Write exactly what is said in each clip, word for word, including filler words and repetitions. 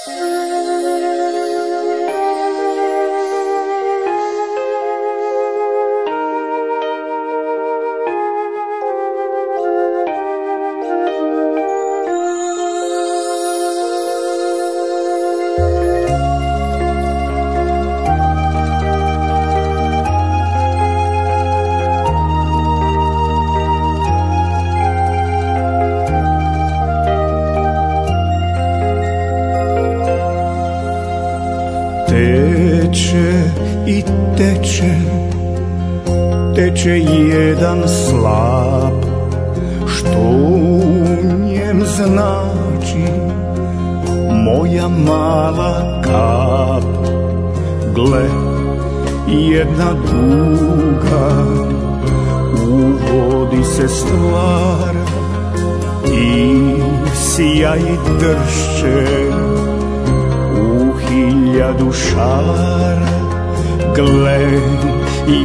Teče i teče, teče jedan slap, što u njem znači moja mala kap. Gle, jedna duga u vodi se stvara i sija i dršće u hiljadu šara. Gle,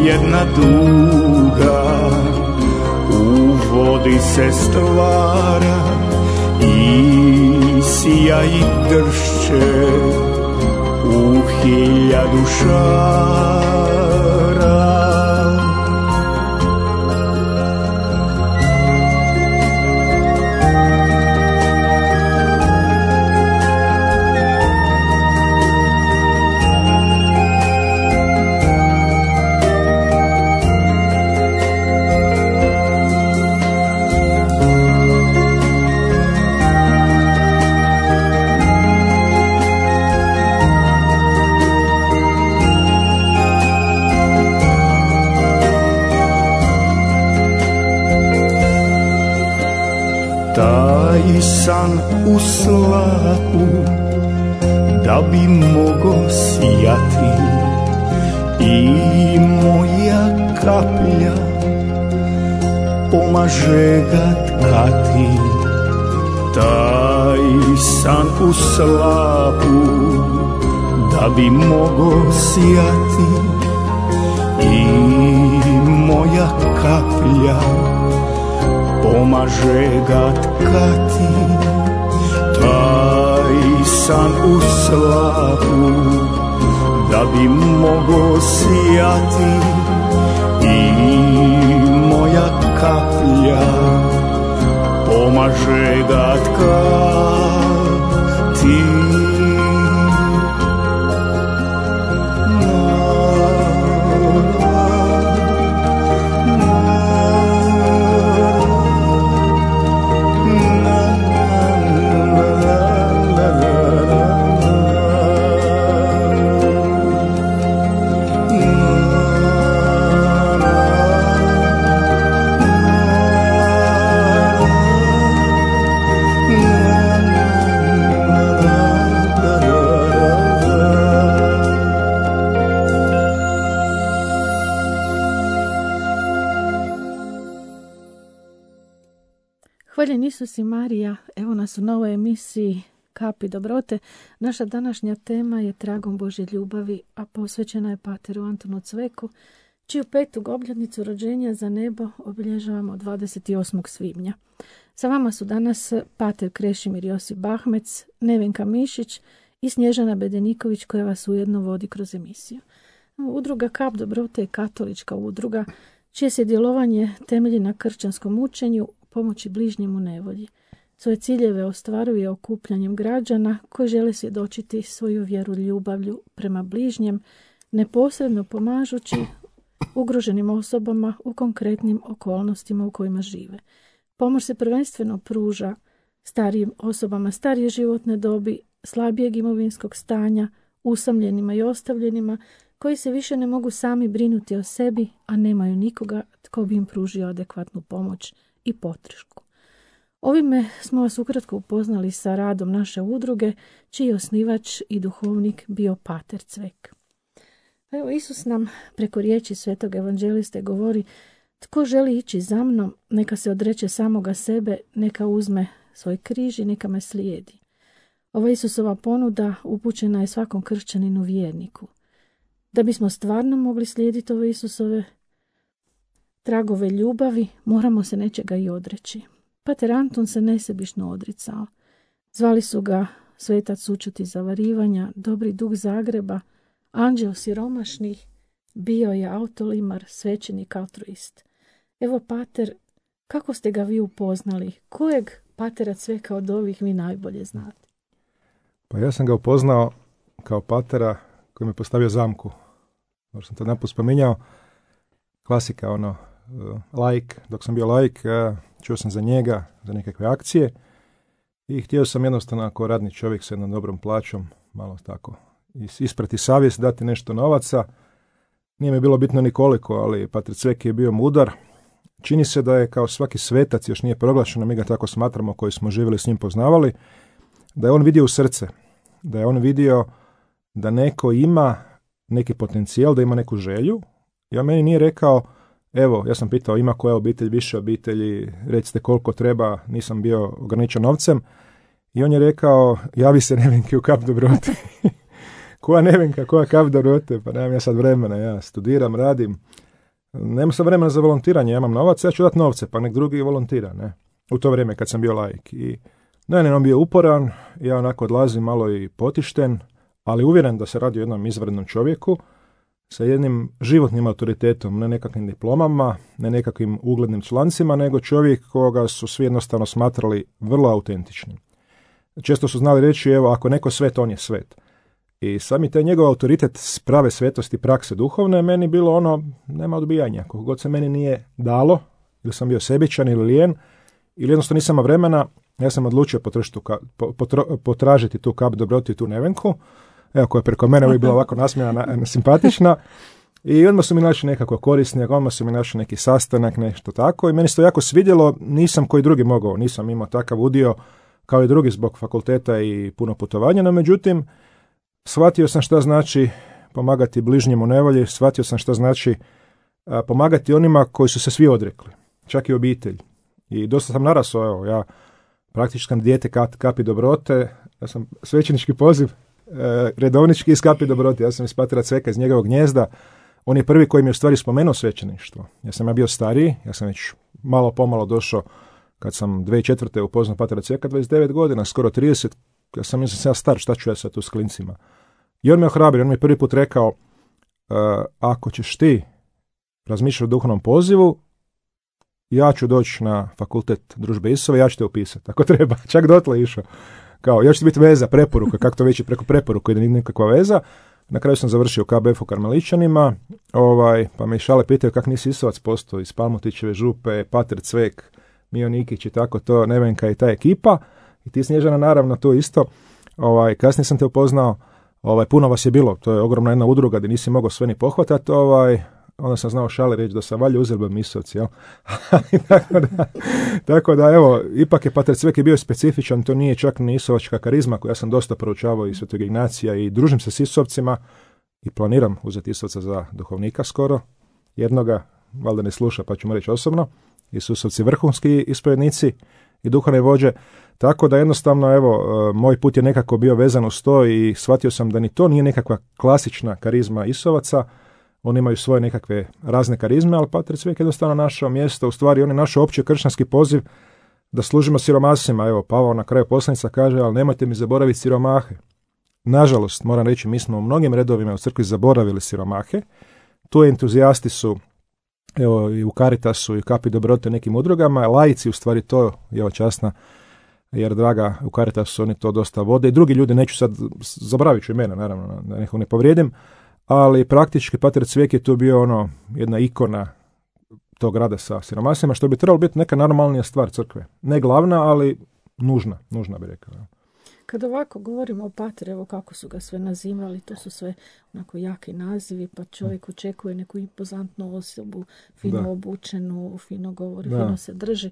jedna duga u vodi se stvara i sija i dršće u hiljadu šara. Taj san u slapu da bi mogo sijati i moja kaplja pomaže ga tkati. Taj san u slapu da bi mogo sijati i moja kaplja pomaže ga tkati. Taj san u slapu da bi mogo sijati i moja kaplja pomaže ga tkati. Hvaljen Isus i Marija, evo nas u novoj emisiji Kapi dobrote. Naša današnja tema je Tragom Božje ljubavi, a posvećena je pateru Antunu Cveku, čiju petu obljetnicu rođenja za nebo obilježavamo dvadeset osmog svibnja. Sa vama su danas pater Krešimir Josip Bahmec, Nevenka Mišić i Snježana Bedeniković, koja vas ujedno vodi kroz emisiju. Udruga Kap dobrote je katolička udruga čije se djelovanje temelji na kršćanskom učenju, pomoći bližnjim u nevolji. Svoje ciljeve ostvaruje okupljanjem građana koji žele svjedočiti svoju vjeru ljubavlju prema bližnjem, neposredno pomažući ugroženim osobama u konkretnim okolnostima u kojima žive. Pomoć se prvenstveno pruža starijim osobama starije životne dobi, slabijeg imovinskog stanja, usamljenima i ostavljenima koji se više ne mogu sami brinuti o sebi, a nemaju nikoga tko bi im pružio adekvatnu pomoć i podršku. Ovime smo vas ukratko upoznali sa radom naše udruge, čiji je osnivač i duhovnik bio pater Cvek. Evo, Isus nam preko riječi svetog evanđeliste govori: tko želi ići za mnom, neka se odreče samoga sebe, neka uzme svoj križ i neka me slijedi. Ova Isusova ponuda upućena je svakom kršćaninu vjerniku. Da bismo stvarno mogli slijediti ove Isusove tragove ljubavi, moramo se nečega i odreći. Pater Anton se nesebično odricao. Zvali su ga svetac sućuti zavarivanja, dobri duh Zagreba, anđeo siromašnih, bio je autolimar, svećenik altruist. Evo, pater, kako ste ga vi upoznali? Kojeg patera Cveka od ovih vi najbolje znate? Pa ja sam ga upoznao kao patera koji mi je postavio zamku. Možda sam to naput spominjao. Klasika, ono, laik. Dok sam bio laik, čuo sam za njega, za nekakve akcije i htio sam jednostavno ako radni čovjek sa jednom dobrom plaćom, malo tako, isprati savjest, dati nešto novaca. Nije mi bilo bitno ni koliko, ali pater Cvek je bio mudar. Čini se da je kao svaki svetac, još nije proglašeno, mi ga tako smatramo koji smo živjeli s njim poznavali, da je on vidio u srce, da je on vidio da neko ima neki potencijal, da ima neku želju. I on meni nije rekao, evo, ja sam pitao ima koja obitelj, više obitelji, recite koliko treba, nisam bio ograničen novcem. I on je rekao, javi se Nevenki u kap dobrote. Koja Nevenka, koja kap dobrote, pa nemam ja sad vremena, ja studiram, radim. Nemam sad vremena za volontiranje, ja imam novac, ja ću dati novce, pa nek drugi volontira, ne. U to vrijeme kad sam bio laik. I ne, ne, on bio uporan, ja onako odlazim malo i potišten, ali uvjeren da se radi o jednom izvrednom čovjeku sa jednim životnim autoritetom, ne nekakvim diplomama, ne nekakvim uglednim člancima, nego čovjek koga su svi jednostavno smatrali vrlo autentičnim. Često su znali reći, evo, ako neko svet, on je svet. I sami taj njegov autoritet prave svetosti, prakse duhovne, meni bilo ono, nema odbijanja. Koliko god se meni nije dalo, ili sam bio sebičan ili lijen, ili jednostavno nisam imao vremena, ja sam odlučio potražiti, potro, potražiti tu kap dobrote i tu Nevenku, evo koja je preko mene uvijek bila ovako nasmijana, simpatična. I odmah su mi našli nekako korisni, odmah su mi našli neki sastanak, nešto tako. I meni se to jako svidjelo, nisam koji drugi mogao, nisam imao takav udio kao i drugi zbog fakulteta i puno putovanja, no međutim, shvatio sam šta znači pomagati bližnjemu nevolji, shvatio sam šta znači a, pomagati onima koji su se svi odrekli, čak i obitelj. I dosta sam narasao, evo, ja praktički sam dijete kap, kapi dobrote, ja sam svećenički poziv, e, redovnički iz kapi dobrote, ja sam iz patera Cveka, iz njegovog gnjezda, on je prvi koji mi je u stvari spomenuo svećeništvo. Ja sam ja bio stariji, ja sam već malo pomalo došao, kad sam dvije tisuće četvrte upoznao patera Cveka, dvadeset devet godina, skoro trideset, ja sam mislim sam ja star, šta ću ja sad tu s klincima. I on me ohrabrio, on mi je prvi put rekao, uh, ako ćeš ti razmišljati o duhovnom pozivu, ja ću doći na fakultet družbe Isove, ja ću te upisati, ako treba, čak dotle išao. Kao, ja ću ti biti veza, preporuka, kako to već je preko preporuka, ide nikakva veza. Na kraju sam završio u K B F u Karmeličanima, ovaj, pa me šale pitaju kak nisi Isovac postao iz Palmotićeve župe, pater Cvek, Mio Nikić i tako to, Nevenka i ta ekipa. I ti Snježana naravno to isto. Ovaj, kasnije sam te upoznao, ovaj, puno vas je bilo, to je ogromna jedna udruga gdje nisi mogao sve ni pohvatati, ovaj, onda sam znao šale reći da sam valja uzeli Misovci, jel? tako, da, tako da, evo, ipak je pater Cvek je bio specifičan, to nije čak ni isovačka karizma koju ja sam dosta proučavao i Svetog Ignacija i družim se s Isovcima i planiram uzeti Isovca za duhovnika skoro, jednoga, valjda ne sluša pa ću mu reći osobno, Isusovci vrhunski ispovjednici i duhovne vođe, tako da jednostavno, evo, moj put je nekako bio vezan uz to i shvatio sam da ni to nije nekakva klasična karizma Isovaca, oni imaju svoje nekakve razne karizme, ali pater Cvek je jednostavno našao mjesto, u stvari on je našao opći kršćanski poziv da služimo siromasima. Evo, Pavao na kraju poslanica kaže, ali nemojte mi zaboraviti siromahe. Nažalost, moram reći, mi smo u mnogim redovima u crkvi zaboravili siromahe. Tu entuzijasti su, evo, i u Caritasu i u Kapi dobrote nekim udrugama, laici u stvari to, evo, časna, jer draga, u Caritasu oni to dosta vode i drugi ljudi, neću sad, zaboravit ću imena, naravno, da nekog ne povrijedim, ali praktički pater Cvek je tu bio ono jedna ikona tog rada sa siromasima, što bi trebalo biti neka normalnija stvar crkve. Ne glavna, ali nužna, nužna bi rekao. Kad ovako govorimo o pateru, evo kako su ga sve nazivali, to su sve onako jaki nazivi, pa čovjek očekuje neku impozantnu osobu, fino da. obučenu, fino govori, da. fino se drži.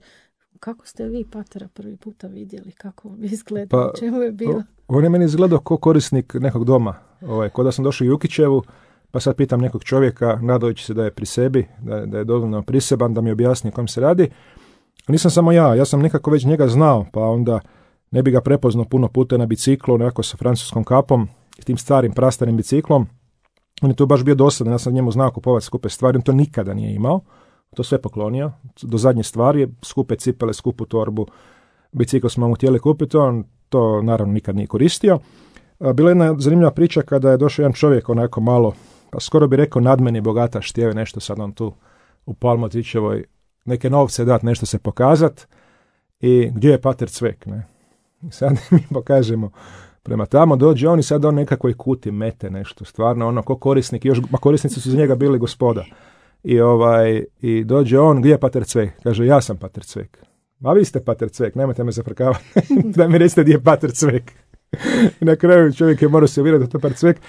Kako ste vi patera prvi puta vidjeli? Kako vam izgleda? Pa, čemu je bilo? On je meni izgledao ko korisnik nekog doma. Ovaj, kod da sam došao u Jukićevu, pa sad pitam nekog čovjeka, nadajući se da je pri sebi, da, da je dovoljno priseban, da mi objasni o kom se radi. Nisam samo ja, ja sam nekako već njega znao, pa onda ne bi ga prepoznao puno puta na biciklu, nekako sa francuskom kapom, s tim starim, prastarim biciklom. On je tu baš bio dosadan, ja sam njemu znao kupovati skupe stvari, on to nikada nije imao. To sve poklonio, do zadnje stvari, skupe cipele, skupu torbu, bicikl smo mu htjeli kupiti, on to naravno nikad nije koristio. Bila je jedna zanimljiva priča kada je došao jedan čovjek onako malo, pa skoro bi rekao nadmeni bogataš, htio je nešto sad on tu u Palmotićevoj neke novce dati, nešto se pokazat i gdje je pater Cvek, ne? I sad mi pokažemo prema tamo, dođe on i sad on nekakvoj kuti mete nešto, stvarno ono ko korisnik, još, ma korisnici su za njega bili gospoda. I ovaj, i dođe on, gdje je pater Cvek? Kaže, ja sam pater Cvek. A vi ste pater Cvek, nemojte me zafrkavati, da mi recite gdje je pater Cvek. I na kraju čovjek je morao se uvjeriti da to pater Cvek.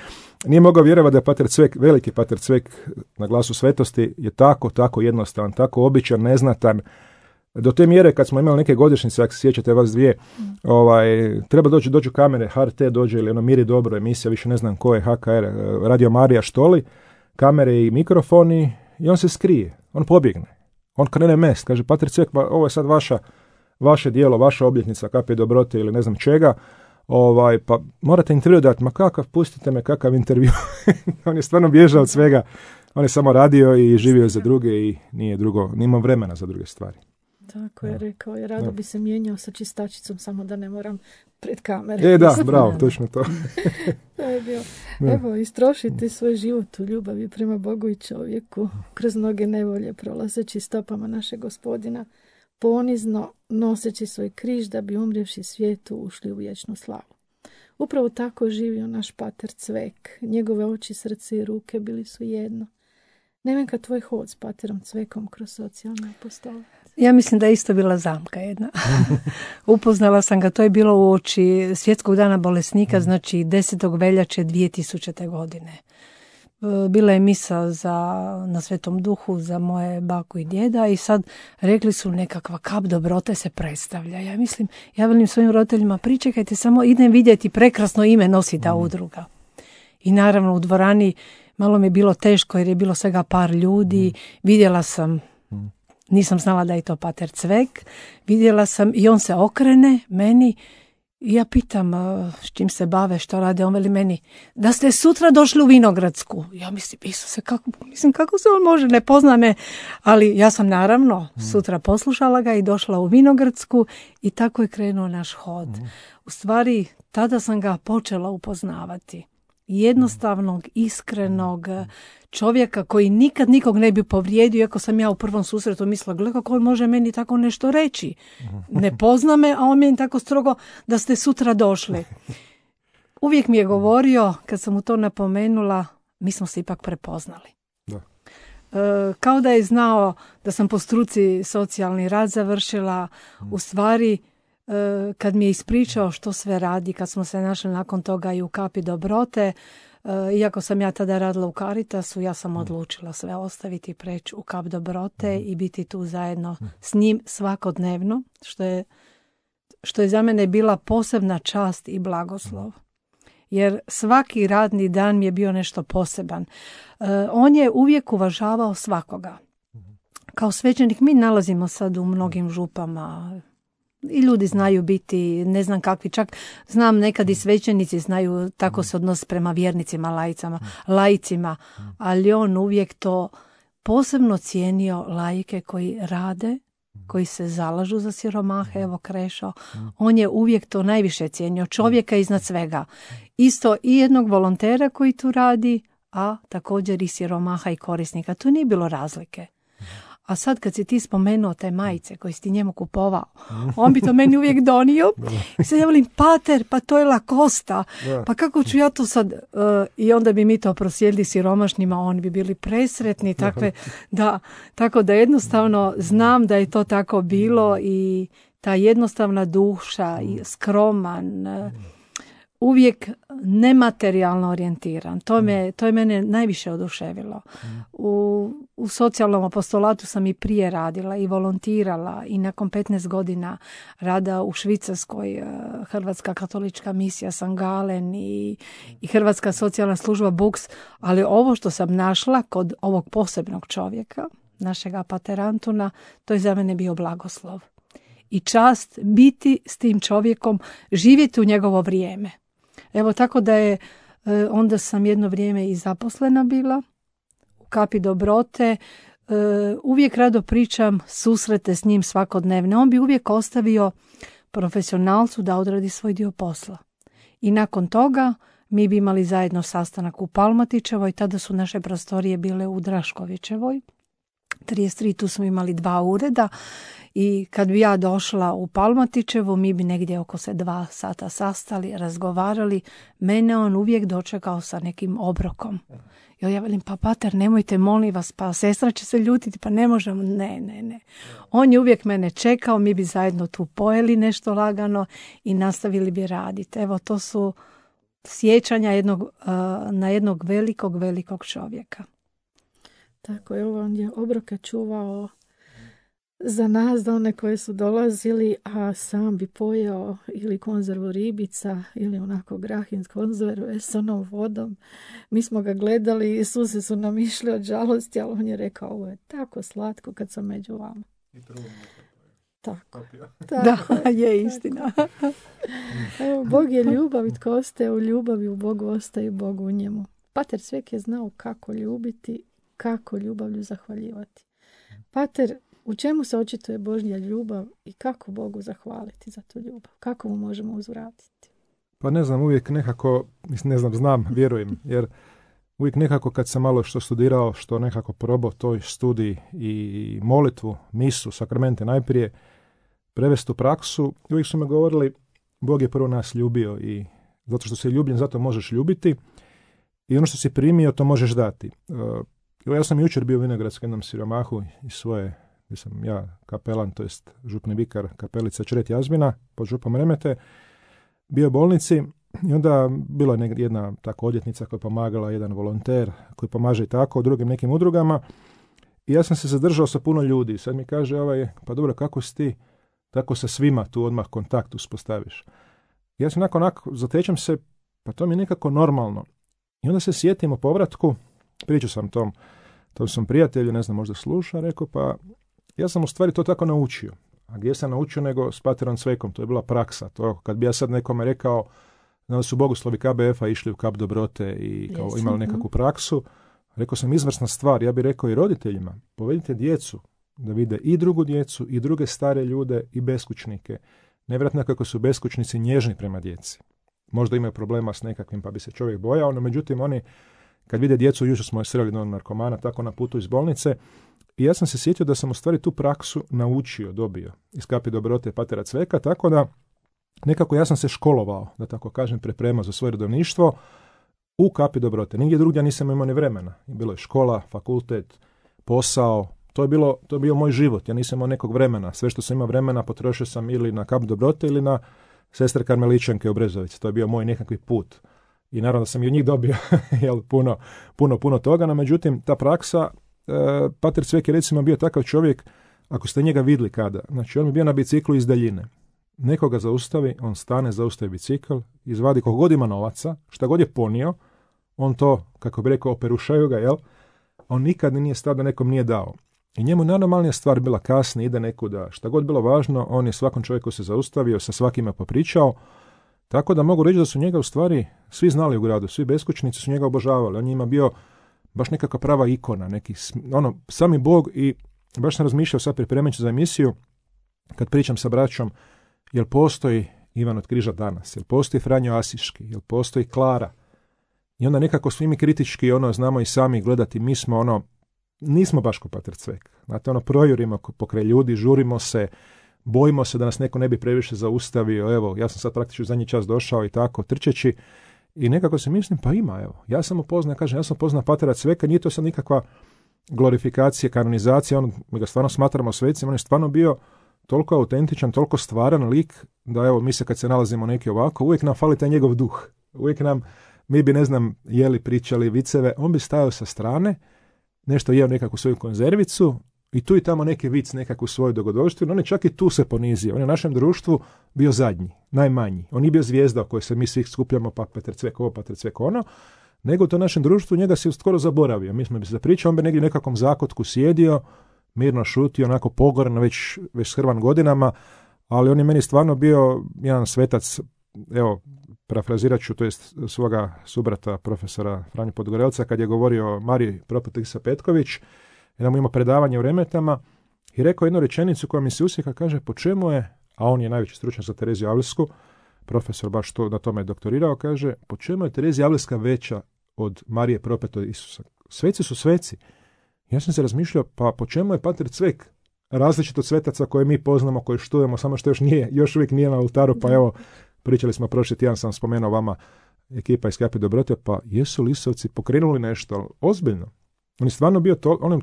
Nije mogao vjerovati da je pater Cvek, veliki pater Cvek na Glasu svetosti je tako, tako jednostavan, tako običan, neznatan. Do te mjere kad smo imali neke godišnjice, ako se sjećate vas dvije, ovaj, treba doći, dođu kamere, H R T dođe ili ono Miri dobro emisija, više ne znam ko je, H K R, Radio Marija Štoli, kamere i mikrofoni i on se skrije, on pobjegne. On krene mest, kaže, pater Cvek, pa ovo je sad vaša, vaše dijelo, vaša obljetnica kapi dobrote ili ne znam čega, ovaj, pa morate intervju dati, ma kakav, pustite me, kakav intervju. On je stvarno bježao od svega, on je samo radio i živio za druge i nije drugo, nije imao vremena za druge stvari. Tako je rekao, je rado bi se mijenjao sa čistačicom, samo da ne moram pred kamere. E da, bravo, točno to. To je bio. Evo, istrošiti svoj život u ljubavi prema Bogu i čovjeku, kroz mnoge nevolje prolazeći stopama našeg Gospodina, ponizno noseći svoj križ da bi umrevši svijetu ušli u vječnu slavu. Upravo tako živio naš pater Cvek. Njegove oči, srce i ruke bili su jedno. Nevenka, tvoj hod s paterom Cvekom kroz socijalne apostole. Ja mislim da je isto bila zamka jedna. Upoznala sam ga, to je bilo u oči Svjetskog dana bolesnika, znači desetog veljače dvije tisućite. godine. Bila je misa za, na Svetom Duhu za moje baku i djeda i sad rekli su nekakva kap dobrote se predstavlja. Ja mislim, ja velim svojim roditeljima, pričekajte, samo idem vidjeti, prekrasno ime nosi ta udruga. I naravno u dvorani malo mi je bilo teško jer je bilo svega par ljudi, vidjela sam, nisam znala da je to pater Cvek, vidjela sam i on se okrene meni i ja pitam s čim se bave, što rade, on veli meni, da ste sutra došli u Vinogradsku. Ja mislim, Isuse, kako, mislim, kako se on može, ne pozna me, ali ja sam naravno sutra poslušala ga i došla u Vinogradsku i tako je krenuo naš hod. U stvari, tada sam ga počela upoznavati. Jednostavnog, iskrenog čovjeka koji nikad nikog ne bi povrijedio, iako sam ja u prvom susretu mislila, gle kako on može meni tako nešto reći. Ne pozna me, a on meni tako strogo da ste sutra došli. Uvijek mi je govorio, kad sam mu to napomenula, mi smo se ipak prepoznali. Da. E, kao da je znao da sam po struci socijalni rad završila, u stvari kad mi je ispričao što sve radi, kad smo se našli nakon toga i u kapi dobrote, iako sam ja tada radila u Caritasu, ja sam odlučila sve ostaviti, preći u kap dobrote i biti tu zajedno s njim svakodnevno, što je, što je za mene bila posebna čast i blagoslov. Jer svaki radni dan mi je bio nešto poseban. On je uvijek uvažavao svakoga. Kao svećenik mi nalazimo sad u mnogim župama, i ljudi znaju biti, ne znam kakvi, čak znam nekad i svećenici znaju tako se odnos prema vjernicima, lajicama, laicima, ali on uvijek to posebno cijenio laike koji rade, koji se zalažu za siromahe, evo Krešo, on je uvijek to najviše cijenio, čovjeka iznad svega. Isto i jednog volontera koji tu radi, a također i siromaha i korisnika, tu nije bilo razlike. A sad kad si ti spomenuo te majice koje si ti njemu kupovao, on bi to meni uvijek donio. I sad ja volim, pater, pa to je Lacosta. Pa kako ću ja to sad... Uh, I onda bi mi to prosjedili siromašnima, oni bi bili presretni. Takve, da, tako da jednostavno znam da je to tako bilo i ta jednostavna duša, i skroman, uh, uvijek nematerijalno orijentiran. To, me, to je mene najviše oduševilo. U, u socijalnom apostolatu sam i prije radila i volontirala i nakon petnaest godina rada u Švicarskoj, Hrvatska katolička misija San Galen i, i Hrvatska socijalna služba Buks, ali ovo što sam našla kod ovog posebnog čovjeka, našega pater Antuna, to je za mene bio blagoslov. I čast biti s tim čovjekom, živjeti u njegovo vrijeme. Evo tako da je, onda sam jedno vrijeme i zaposlena bila u kapi dobrote. Uvijek rado pričam susrete s njim svakodnevne. On bi uvijek ostavio profesionalcu da odradi svoj dio posla. I nakon toga mi bi imali zajedno sastanak u Palmatićevoj, tada su naše prostorije bile u Draškovićevoj. trideset tri, tu smo imali dva ureda i kad bi ja došla u Palmatićevu, mi bi negdje oko se dva sata sastali, razgovarali. Mene on uvijek dočekao sa nekim obrokom. I ja velim, pa pater, nemojte, molim vas, pa sestra će se ljutiti, pa ne možemo. Ne, ne, ne. On je uvijek mene čekao, mi bi zajedno tu pojeli nešto lagano i nastavili bi raditi. Evo, to su sjećanja jednog, uh, na jednog velikog, velikog čovjeka. Tako je, on je obroke čuvao za nas, da one koje su dolazili, a sam bi pojeo ili konzervu ribica ili onako grahin konzerve s onom vodom. Mi smo ga gledali i suze su nam išli od žalosti, ali on je rekao, ovo je tako slatko kad sam među vama. Tako. tako da, je istina. Evo, Bog je ljubav i tko ostaje u ljubavi, u Bogu ostaje i Bog u njemu. Pater Cvek je znao kako ljubiti, kako ljubavlju zahvaljivati. Pater, u čemu se očituje Božja ljubav i kako Bogu zahvaliti za tu ljubav? Kako mu možemo uzvratiti? Pa ne znam, uvijek nekako, ne znam, znam, vjerujem, jer uvijek nekako kad sam malo što studirao, što nekako probao toj studiji i molitvu, misu, sakramente najprije, prevesti u praksu, uvijek su me govorili, Bog je prvo nas ljubio i zato što si ljubljen, zato možeš ljubiti i ono što si primio, to možeš dati. Uh, ja sam jučer bio u Vinogradskom jednom siromahu iz svoje, gdje sam ja kapelan, to jest župni vikar kapelica Čret Jazmina, pod župom Remete, bio u bolnici i onda bila je jedna tako odjetnica koja je pomagala, jedan volonter koji pomaže i tako u drugim nekim udrugama i ja sam se zadržao sa puno ljudi. Sad mi kaže ovaj, pa dobro, kako si ti tako sa svima tu odmah kontakt uspostaviš? Ja sam nakon onako, zatečem se, pa to mi je nekako normalno. I onda se sjetim o povratku, pričao sam tom, tom sam prijatelju, ne znam, možda sluša, rekao, pa ja sam u stvari to tako naučio. A gdje sam naučio nego s paterom Cvekom, to je bila praksa. To kad bi ja sad nekome rekao da su bogoslovi K B F-a išli u kap dobrote i kao Jesu, imali nekakvu praksu, rekao sam izvrsna stvar, ja bih rekao i roditeljima, povedite djecu da vide i drugu djecu, i druge stare ljude, i beskućnike. Nevjerojatno kako su beskućnici nježni prema djeci. Možda imaju problema s nekakvim pa bi se čovjek bojao, no međutim oni kad vide djecu, jučer smo je sreli jednog narkomana, tako na putu iz bolnice, i ja sam se sjetio da sam u stvari tu praksu naučio, dobio iz kapi dobrote patera Cveka, tako da nekako ja sam se školovao, da tako kažem, pripremao za svoje redovništvo u kapi dobrote. Nigdje drugdje nisam imao ni vremena. Bilo je škola, fakultet, posao, to je, bilo, to je bio moj život. Ja nisam imao nekog vremena. Sve što sam imao vremena potrošio sam ili na kap dobrote ili na sestre Karmeličanke u Brezovici. To je bio moj nekakvi put. I naravno da sam i od njih dobio jel, puno, puno, puno toga, no međutim ta praksa, e, pater Cvek je recimo bio takav čovjek, ako ste njega vidjeli kada, znači on bi bio na biciklu iz daljine. Nekoga zaustavi, on stane, zaustavi bicikl, izvadi koliko god ima novaca, šta god je ponio, on to, kako bi rekao, operušaju ga, jel? On nikad nije stao da nekom nije dao. I njemu najnormalnija stvar bila kasnije, ide nekuda, šta god bilo važno, on je svakom čovjeku se zaustavio, sa svakima popričao, tako da mogu reći da su njega u stvari svi znali u gradu, svi beskućnici su njega obožavali, on je njima bio baš nekakva prava ikona, neki, ono, sami Bog. I baš sam razmišljao sad pripremajući za emisiju, kad pričam sa braćom, jel postoji Ivan od Križa danas, jel postoji Franjo Asiški, jel postoji Klara, i onda nekako svi mi kritički ono znamo i sami gledati, mi smo ono, nismo baš ko pater Cvek, znate, ono projurimo pokraj ljudi, žurimo se, bojimo se da nas neko ne bi previše zaustavio, evo, ja sam sad praktično zadnji čas došao i tako, trčeći, i nekako se mislim, pa ima, evo, ja sam upoznao, kažem, ja sam upoznao patera Cveka, nije to sad nikakva glorifikacija, kanonizacija, on, mi ga stvarno smatramo svecima, on je stvarno bio toliko autentičan, toliko stvaran lik, da evo, mi se kad se nalazimo neki ovako, uvijek nam fali taj njegov duh, uvijek nam, mi bi, ne znam, jeli, pričali viceve, on bi stajao sa strane, nešto jeo nekakvu svoju konzervicu, i tu i tamo neki vic, nekakvu svoju dogodovštinu, on je čak i tu se ponizio. On je u našem društvu bio zadnji, najmanji. On nije bio zvijezda o kojoj se mi svi skupljamo, pa Petar Cvek ovo, Petar Cvek ono, nego u to našem društvu njega se skoro zaboravio. Mi smo bi se pričali, on bi negdje u nekakvom zakotku sjedio, mirno šutio, onako pogoran, već, već shrvan godinama, ali on je meni stvarno bio jedan svetac, evo, parafrazirat ću, to jest svoga subrata, profesora Franju Podgorelca, kad je govorio o Mariji Propatisa Petković, jedan mu ima predavanje u Remetama i rekao jednu rečenicu koja mi se usjeka, kaže, po čemu je a on je najveći stručnjak za Tereziju Avlsku, profesor baš to, na tome je doktorirao, kaže, po čemu je Terezija Avlska veća od Marije propetog Isusa? Sveci su sveci. Ja sam se razmišljao, pa po čemu je Pater Cvek različit od svetaca koje mi poznamo, koje štujemo, samo što još nije, još uvijek nije na oltaru, pa evo, pričali smo prošli tjedan, sam spomenuo vama ekipa iz Kapi dobrote, pa jesu Lisovci pokrenuli nešto ozbiljno? On je stvarno bio to, on,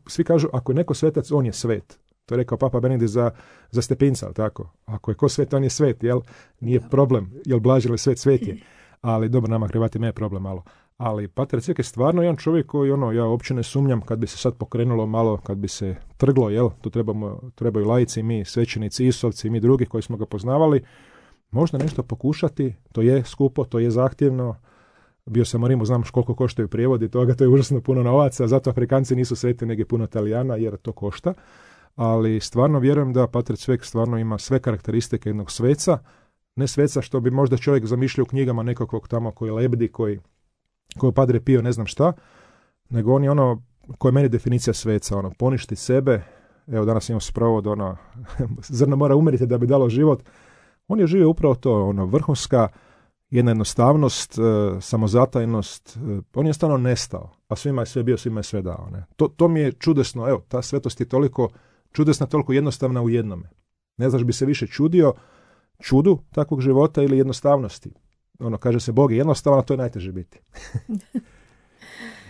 svi kažu, ako je neko svetac, on je svet. To je rekao Papa Benedikt za, za Stepinca, ali tako? Ako je ko svet, on je svet, jel? Nije problem, jel blaži ili svet, svet je. Ali dobro, nama Hrvatima je problem malo. Ali Pater Cvek je stvarno jedan čovjek koji, ono, ja uopće ne sumnjam kad bi se sad pokrenulo malo, kad bi se trglo, jel? Tu trebamo, trebaju laici, mi svećenici, isovci, mi drugi koji smo ga poznavali, možda nešto pokušati, to je skupo, to je zahtjevno. Bio sam u Rimu, znam koliko koštaju prijevodi toga, to je užasno puno novaca, zato Afrikanci nisu sveti, nego puno Italijana, jer to košta. Ali stvarno vjerujem da Pater Cvek stvarno ima sve karakteristike jednog sveca, ne sveca što bi možda čovjek zamišljao u knjigama nekakvog tamo koji lebdi, koji, koji Padre Pio ne znam šta, nego on je ono, koja je meni definicija sveca, ono, poništi sebe, evo danas imamo sprovod, ono, zrno mora umriti da bi dalo život. On je živio upravo to, ono, vrhunska jedna jednostavnost, e, samozatajnost, e, on je stvarno nestao, a svima je sve bio, svima je sve dao. Ne? To, to mi je čudesno, evo, ta svetost je toliko čudesna, toliko jednostavna u jednome. Ne znaš bi se više čudio čudu takvog života ili jednostavnosti. Ono, kaže se Bog je jednostavan, a to je najteže biti.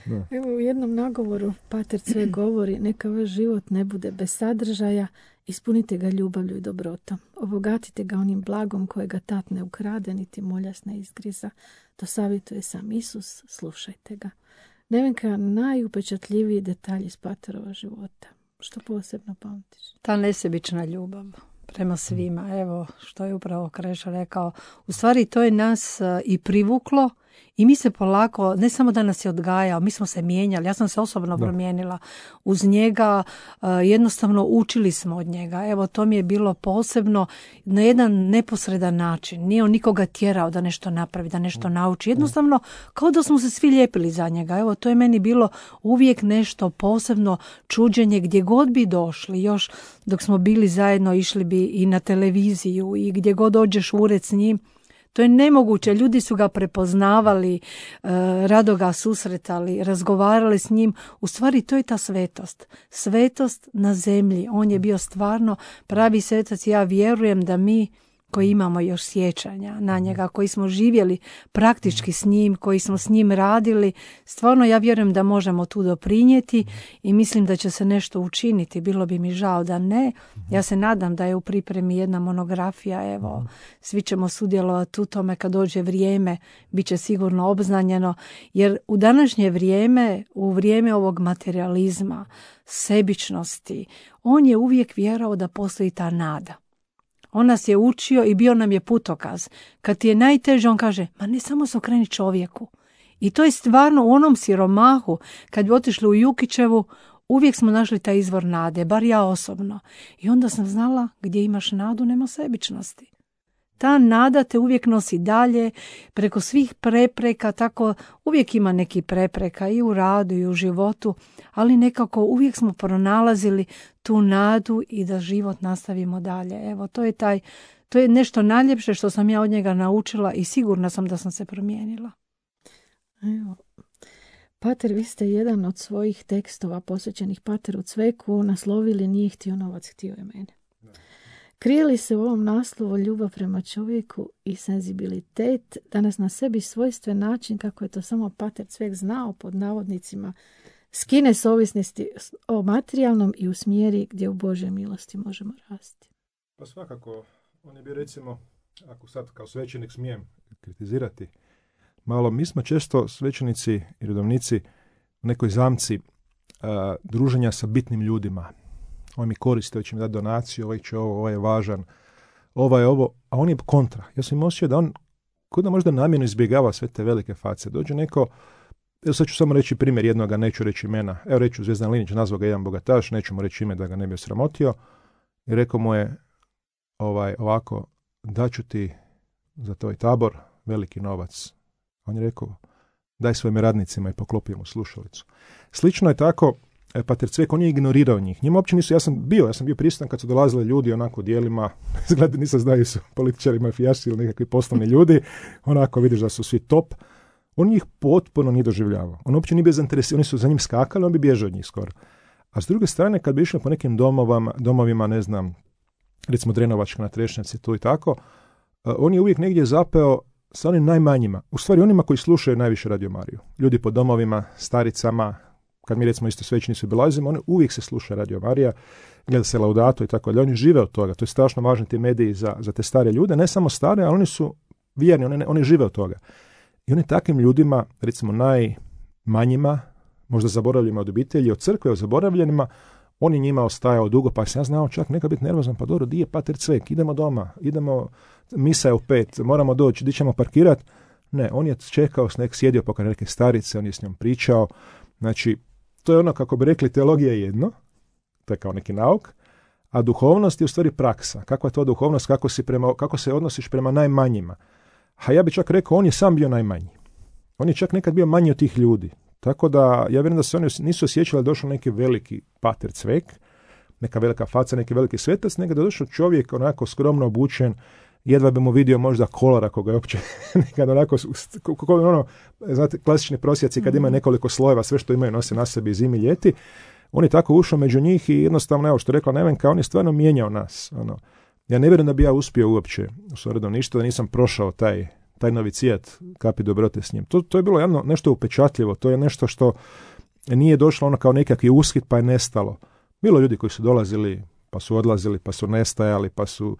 Da. Evo u jednom nagovoru Pater Cvek govori, neka vaš život ne bude bez sadržaja, ispunite ga ljubavlju i dobrotom. Obogatite ga onim blagom kojega tat ne ukrade, niti moljas ne izgriza. To savjetuje sam Isus, slušajte ga. Nevenka, najupečatljiviji detalj iz Paterova života. Što posebno pamtiš? Ta nesebična ljubav prema svima. Evo što je upravo Kreša rekao. U stvari to je nas i privuklo i mi se polako, ne samo da nas je odgajao, mi smo se mijenjali. Ja sam se osobno da. promijenila uz njega, jednostavno učili smo od njega. Evo to mi je bilo posebno na jedan neposredan način. Nije on nikoga tjerao da nešto napravi, da nešto nauči. Jednostavno kao da smo se svi lijepili za njega. Evo to je meni bilo uvijek nešto posebno čuđenje gdje god bi došli. Još dok smo bili zajedno išli bi i na televiziju i gdje god dođeš u ured s njim. To je nemoguće, ljudi su ga prepoznavali, rado ga susretali, razgovarali s njim. U stvari to je ta svetost. Svetost na zemlji. On je bio stvarno pravi svetac. Ja vjerujem da mi koji imamo još sjećanja na njega, koji smo živjeli praktički s njim, koji smo s njim radili, stvarno ja vjerujem da možemo tu doprinijeti i mislim da će se nešto učiniti. Bilo bi mi žao da ne. Ja se nadam da je u pripremi jedna monografija, evo, svi ćemo sudjelovati u tome kad dođe vrijeme, bit će sigurno obznanjeno, jer u današnje vrijeme, u vrijeme ovog materijalizma, sebičnosti, on je uvijek vjerao da postoji ta nada. On nas je učio i bio nam je putokaz. Kad ti je najteže, on kaže, ma ne samo se okreni čovjeku. I to je stvarno u onom siromahu, kad bi otišli u Jukićevu, uvijek smo našli taj izvor nade, bar ja osobno. I onda sam znala, gdje imaš nadu, nema sebičnosti. Ta nada te uvijek nosi dalje, preko svih prepreka, tako uvijek ima neki prepreka i u radu i u životu, ali nekako uvijek smo pronalazili tu nadu i da život nastavimo dalje. Evo, to je taj, to je nešto najljepše što sam ja od njega naučila i sigurna sam da sam se promijenila. Evo, Pater, vi ste jedan od svojih tekstova posvećenih Pateru Cveku naslovili Nije htio novac, htio je mene. Krije li se u ovom naslovu ljubav prema čovjeku i senzibilitet, danas na sebi svojstven način, kako je to samo Pater Cvek znao, pod navodnicima, skine s ovisnosti o materijalnom i usmjeri gdje u Božoj milosti možemo rasti? Pa svakako, on je bio, recimo, ako sad kao svećenik smijem kritizirati, malo, mi smo često svećenici i redovnici u nekoj zamci a, druženja sa bitnim ljudima. Ovaj mi koriste, ovaj će mi dati donaciju, ovaj će ovo, ovaj je važan, ovaj je ovo, a on je kontra. Ja sam im osjećao da on kod da možda namjerno izbjegava sve te velike face. Dođe neko, evo sad ću samo reći primjer jednoga, neću reći imena, evo reću Zvezdan Linić, nazvao ga jedan bogataš, neću mu reći ime da ga ne bi osramotio, i rekao mu je ovaj, ovako, daću ti za tvoj tabor veliki novac. On je rekao, daj svojim radnicima i poklopio mu slušalicu. Slično je tako e, Pater Cvek, on je ignorirao njih. Njima uopće nisu, ja sam bio, ja sam bio prisutan kad su dolazili ljudi onako dijelima, izgleda nisam znaju su političari, mafijaši ili nekakvi poslovni ljudi, onako vidiš da su svi top. On njih potpuno nije doživljavao. On uopće nije bio zainteresiran, oni su za njim skakali, on bi bježao od njih skoro. A s druge strane, kad bi išli po nekim domovama, domovima, ne znam, recimo Drenovačka na Trešnjaci, tu i tako, on je uvijek negdje zapeo sa onim najmanjima, u stvari onima koji slušaju najviše Radio Mariju. Ljudi po domovima, staricama, kad mi recimo isto svećenici obilazimo, oni uvijek se sluša Radio Marija, gleda se Laudato i tako dalje. Oni žive od toga. To je strašno važno ti mediji za, za te stare ljude, ne samo stare, ali oni su vjerni, oni, oni žive od toga. I oni takvim ljudima, recimo najmanjima, možda zaboravljenima od obitelji, od crkve, od zaboravljenima, on je njima ostajao dugo, pa sam ja znao čak nekad biti nervozan, pa dobro, di je Pater Cvek, idemo doma, idemo, misa je u pet, moramo doći, di ćemo parkirati. Ne, on je čekao, nek sjedio pokraj neke starice, on je s njom pričao. Znači, to je ono, kako bi rekli, teologija je jedno, to je kao neki nauk, a duhovnost je u stvari praksa. Kakva je to duhovnost, kako, si prema, kako se odnosiš prema najmanjima. A ja bih čak rekao, on je sam bio najmanji. On je čak nekad bio manji od tih ljudi. Tako da, ja vjerujem da se oni nisu osjećali da došao neki veliki Pater Cvek, neka velika faca, neki veliki svetac, nego da došao čovjek onako skromno obučen, jedva bi mu vidio možda kolar ako ga je uopće nekad onako, ono, znate, klasični prosjaci kad imaju nekoliko slojeva, sve što imaju nose na sebi zimi, ljeti. On je tako ušao među njih i jednostavno, evo što rekla Nevenka, on je stvarno mijenjao nas. Ono. Ja ne vjerujem da bi ja uspio uopće u Soredom ništa, da nisam prošao taj, taj novicijat kapi dobrote s njim. To, to je bilo jedno, nešto upečatljivo, to je nešto što nije došlo ono kao nekakvi ushit pa je nestalo. Bilo ljudi koji su dolazili, pa su odlazili, pa su nestajali, pa su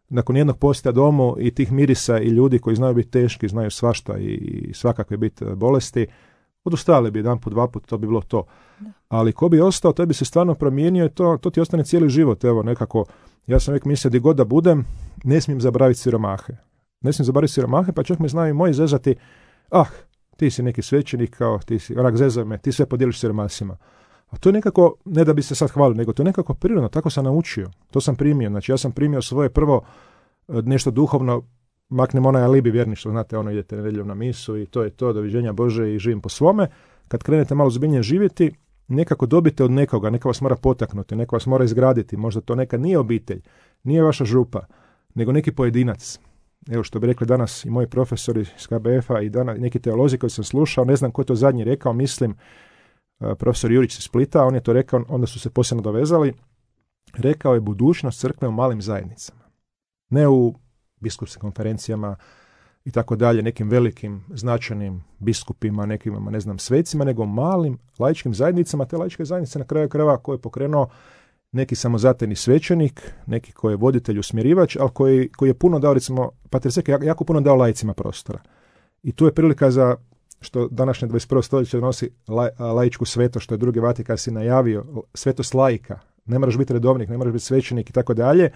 nakon jednog posjeta domu i tih mirisa i ljudi koji znaju biti teški, znaju svašta i svakakve biti bolesti, odustali bi jedan put, dva put, to bi bilo to. Da. Ali ko bi ostao, to bi se stvarno promijenio i to, to ti ostane cijeli život. Evo, nekako, ja sam uvijek mislio gdje god da budem, ne smijem zaboraviti siromahe. Ne smijem zaboraviti siromahe, pa čak me znaju i moji zezati, ah, ti si neki svećenik, kao ti si, onak zezaj me, ti sve podijeliš siromasima. A to je nekako, ne da bi se sad hvalio, nego to je nekako prirodno, tako sam naučio. To sam primio, znači ja sam primio svoje prvo nešto duhovno, maknem onaj alibi vjerništvo, znate, ono idete nedjeljom na misu i to je to, doviđenja Bože i živim po svome. Kad krenete malo zbiljnije živjeti, nekako dobite od nekoga, neka vas mora potaknuti, neka vas mora izgraditi, možda to nekad nije obitelj, nije vaša župa, nego neki pojedinac. Evo što bi rekli danas i moji profesori iz K B F-a i danas neki teolozi koji sam slušao, ne znam ko je to zadnji rekao, mislim, profesor Jurić iz Splita, on je to rekao, onda su se posebno dovezali, rekao je budućnost crkve u malim zajednicama. Ne u biskupskim konferencijama i tako dalje, nekim velikim značajnim biskupima, nekim, ne znam, svecima, nego malim laičkim zajednicama. Te laičke zajednice na kraju krajeva koje je pokrenuo neki samozatajni svećenik, neki koji je voditelj, usmjerivač, ali koji, koji je puno dao, recimo, Pater Cvek je jako puno dao laicima prostora. I tu je prilika za što današnje dvadeset prvo stoljeće donosi la, laičku svetost, što je drugi Vatikan si najavio, svetost laika. Ne moraš biti redovnik, ne moraš biti svećenik i tako dalje.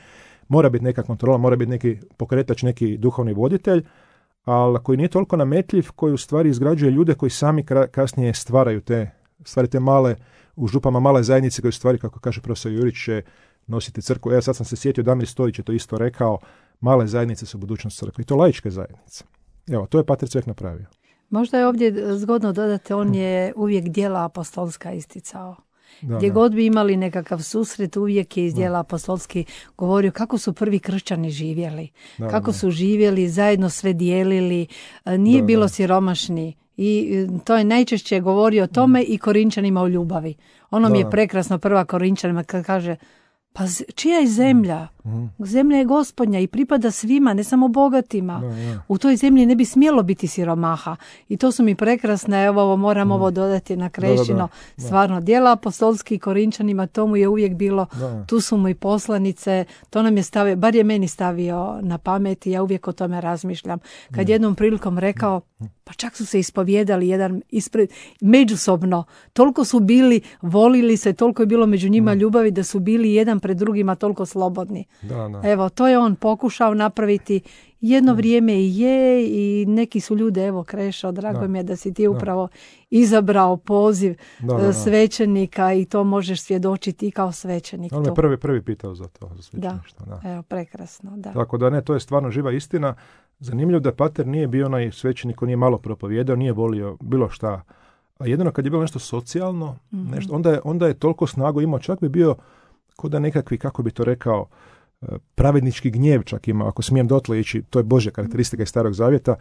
Mora biti neka kontrola, mora biti neki pokretač, neki duhovni voditelj, ali koji nije toliko nametljiv, koji u stvari izgrađuje ljude koji sami kasnije stvaraju te, stvari te male, u župama male zajednice koje u stvari, kako kaže profesor Jurić, će nositi crkvu. Evo sad sam se sjetio, Damir Stojić je to isto rekao, male zajednice su budućnost crkve. I to laičke zajednice. Evo, to je Pater Cvek napravio. Možda je ovdje zgodno dodati, on je uvijek djela apostolska isticao. Da, Gdje da. god bi imali nekakav susret, uvijek je iz djela apostolski govorio kako su prvi kršćani živjeli, Da, kako da. su živjeli, zajedno sve dijelili, nije Da, bilo da. siromašni. I to je najčešće govorio o tome i Korinčanima o ljubavi. Ono mi Da, je da. prekrasno prva Korinčanima kad kaže, pa z- čija je zemlja? Zemlja je Gospodnja i pripada svima, ne samo bogatima. Da, da. U toj zemlji ne bi smjelo biti siromaha. I to su mi prekrasne, evo ovo moram ovo dodati na krešino. Da, da, da. Stvarno, djela apostolski Korinčanima, to mu je uvijek bilo, Da. tu su mu i poslanice, to nam je stavio, bar je meni stavio na pamet i ja uvijek o tome razmišljam. Kad jednom prilikom rekao, pa čak su se ispovijedali jedan ispred, međusobno, toliko su bili, volili se, toliko je bilo među njima ljubavi da su bili jedan pred drugima toliko slobodni. Da, da. Evo, to je on pokušao napraviti. Jedno vrijeme i je i neki su ljude, evo Krešo, drago Da. mi je da si ti upravo izabrao poziv Da, da, e, da. svećenika i to možeš svjedočiti i kao svećenik. On tu. me prvi, prvi pitao za to, za svećeništvo. Da. Evo, prekrasno, da. Tako da ne, to je stvarno živa istina. Zanimljivo da Pater nije bio onaj svećenik koji nije malo propovijedao, nije volio bilo šta a jedino kad je bilo nešto socijalno, mm-hmm. nešto, onda, je, onda je toliko snagu imao, čak bi bio ko da nekakvi, kako bi to rekao, pravednički gnjev čak imao, ako smijem dotle ići, to je Božja karakteristika iz Starog Zavjeta,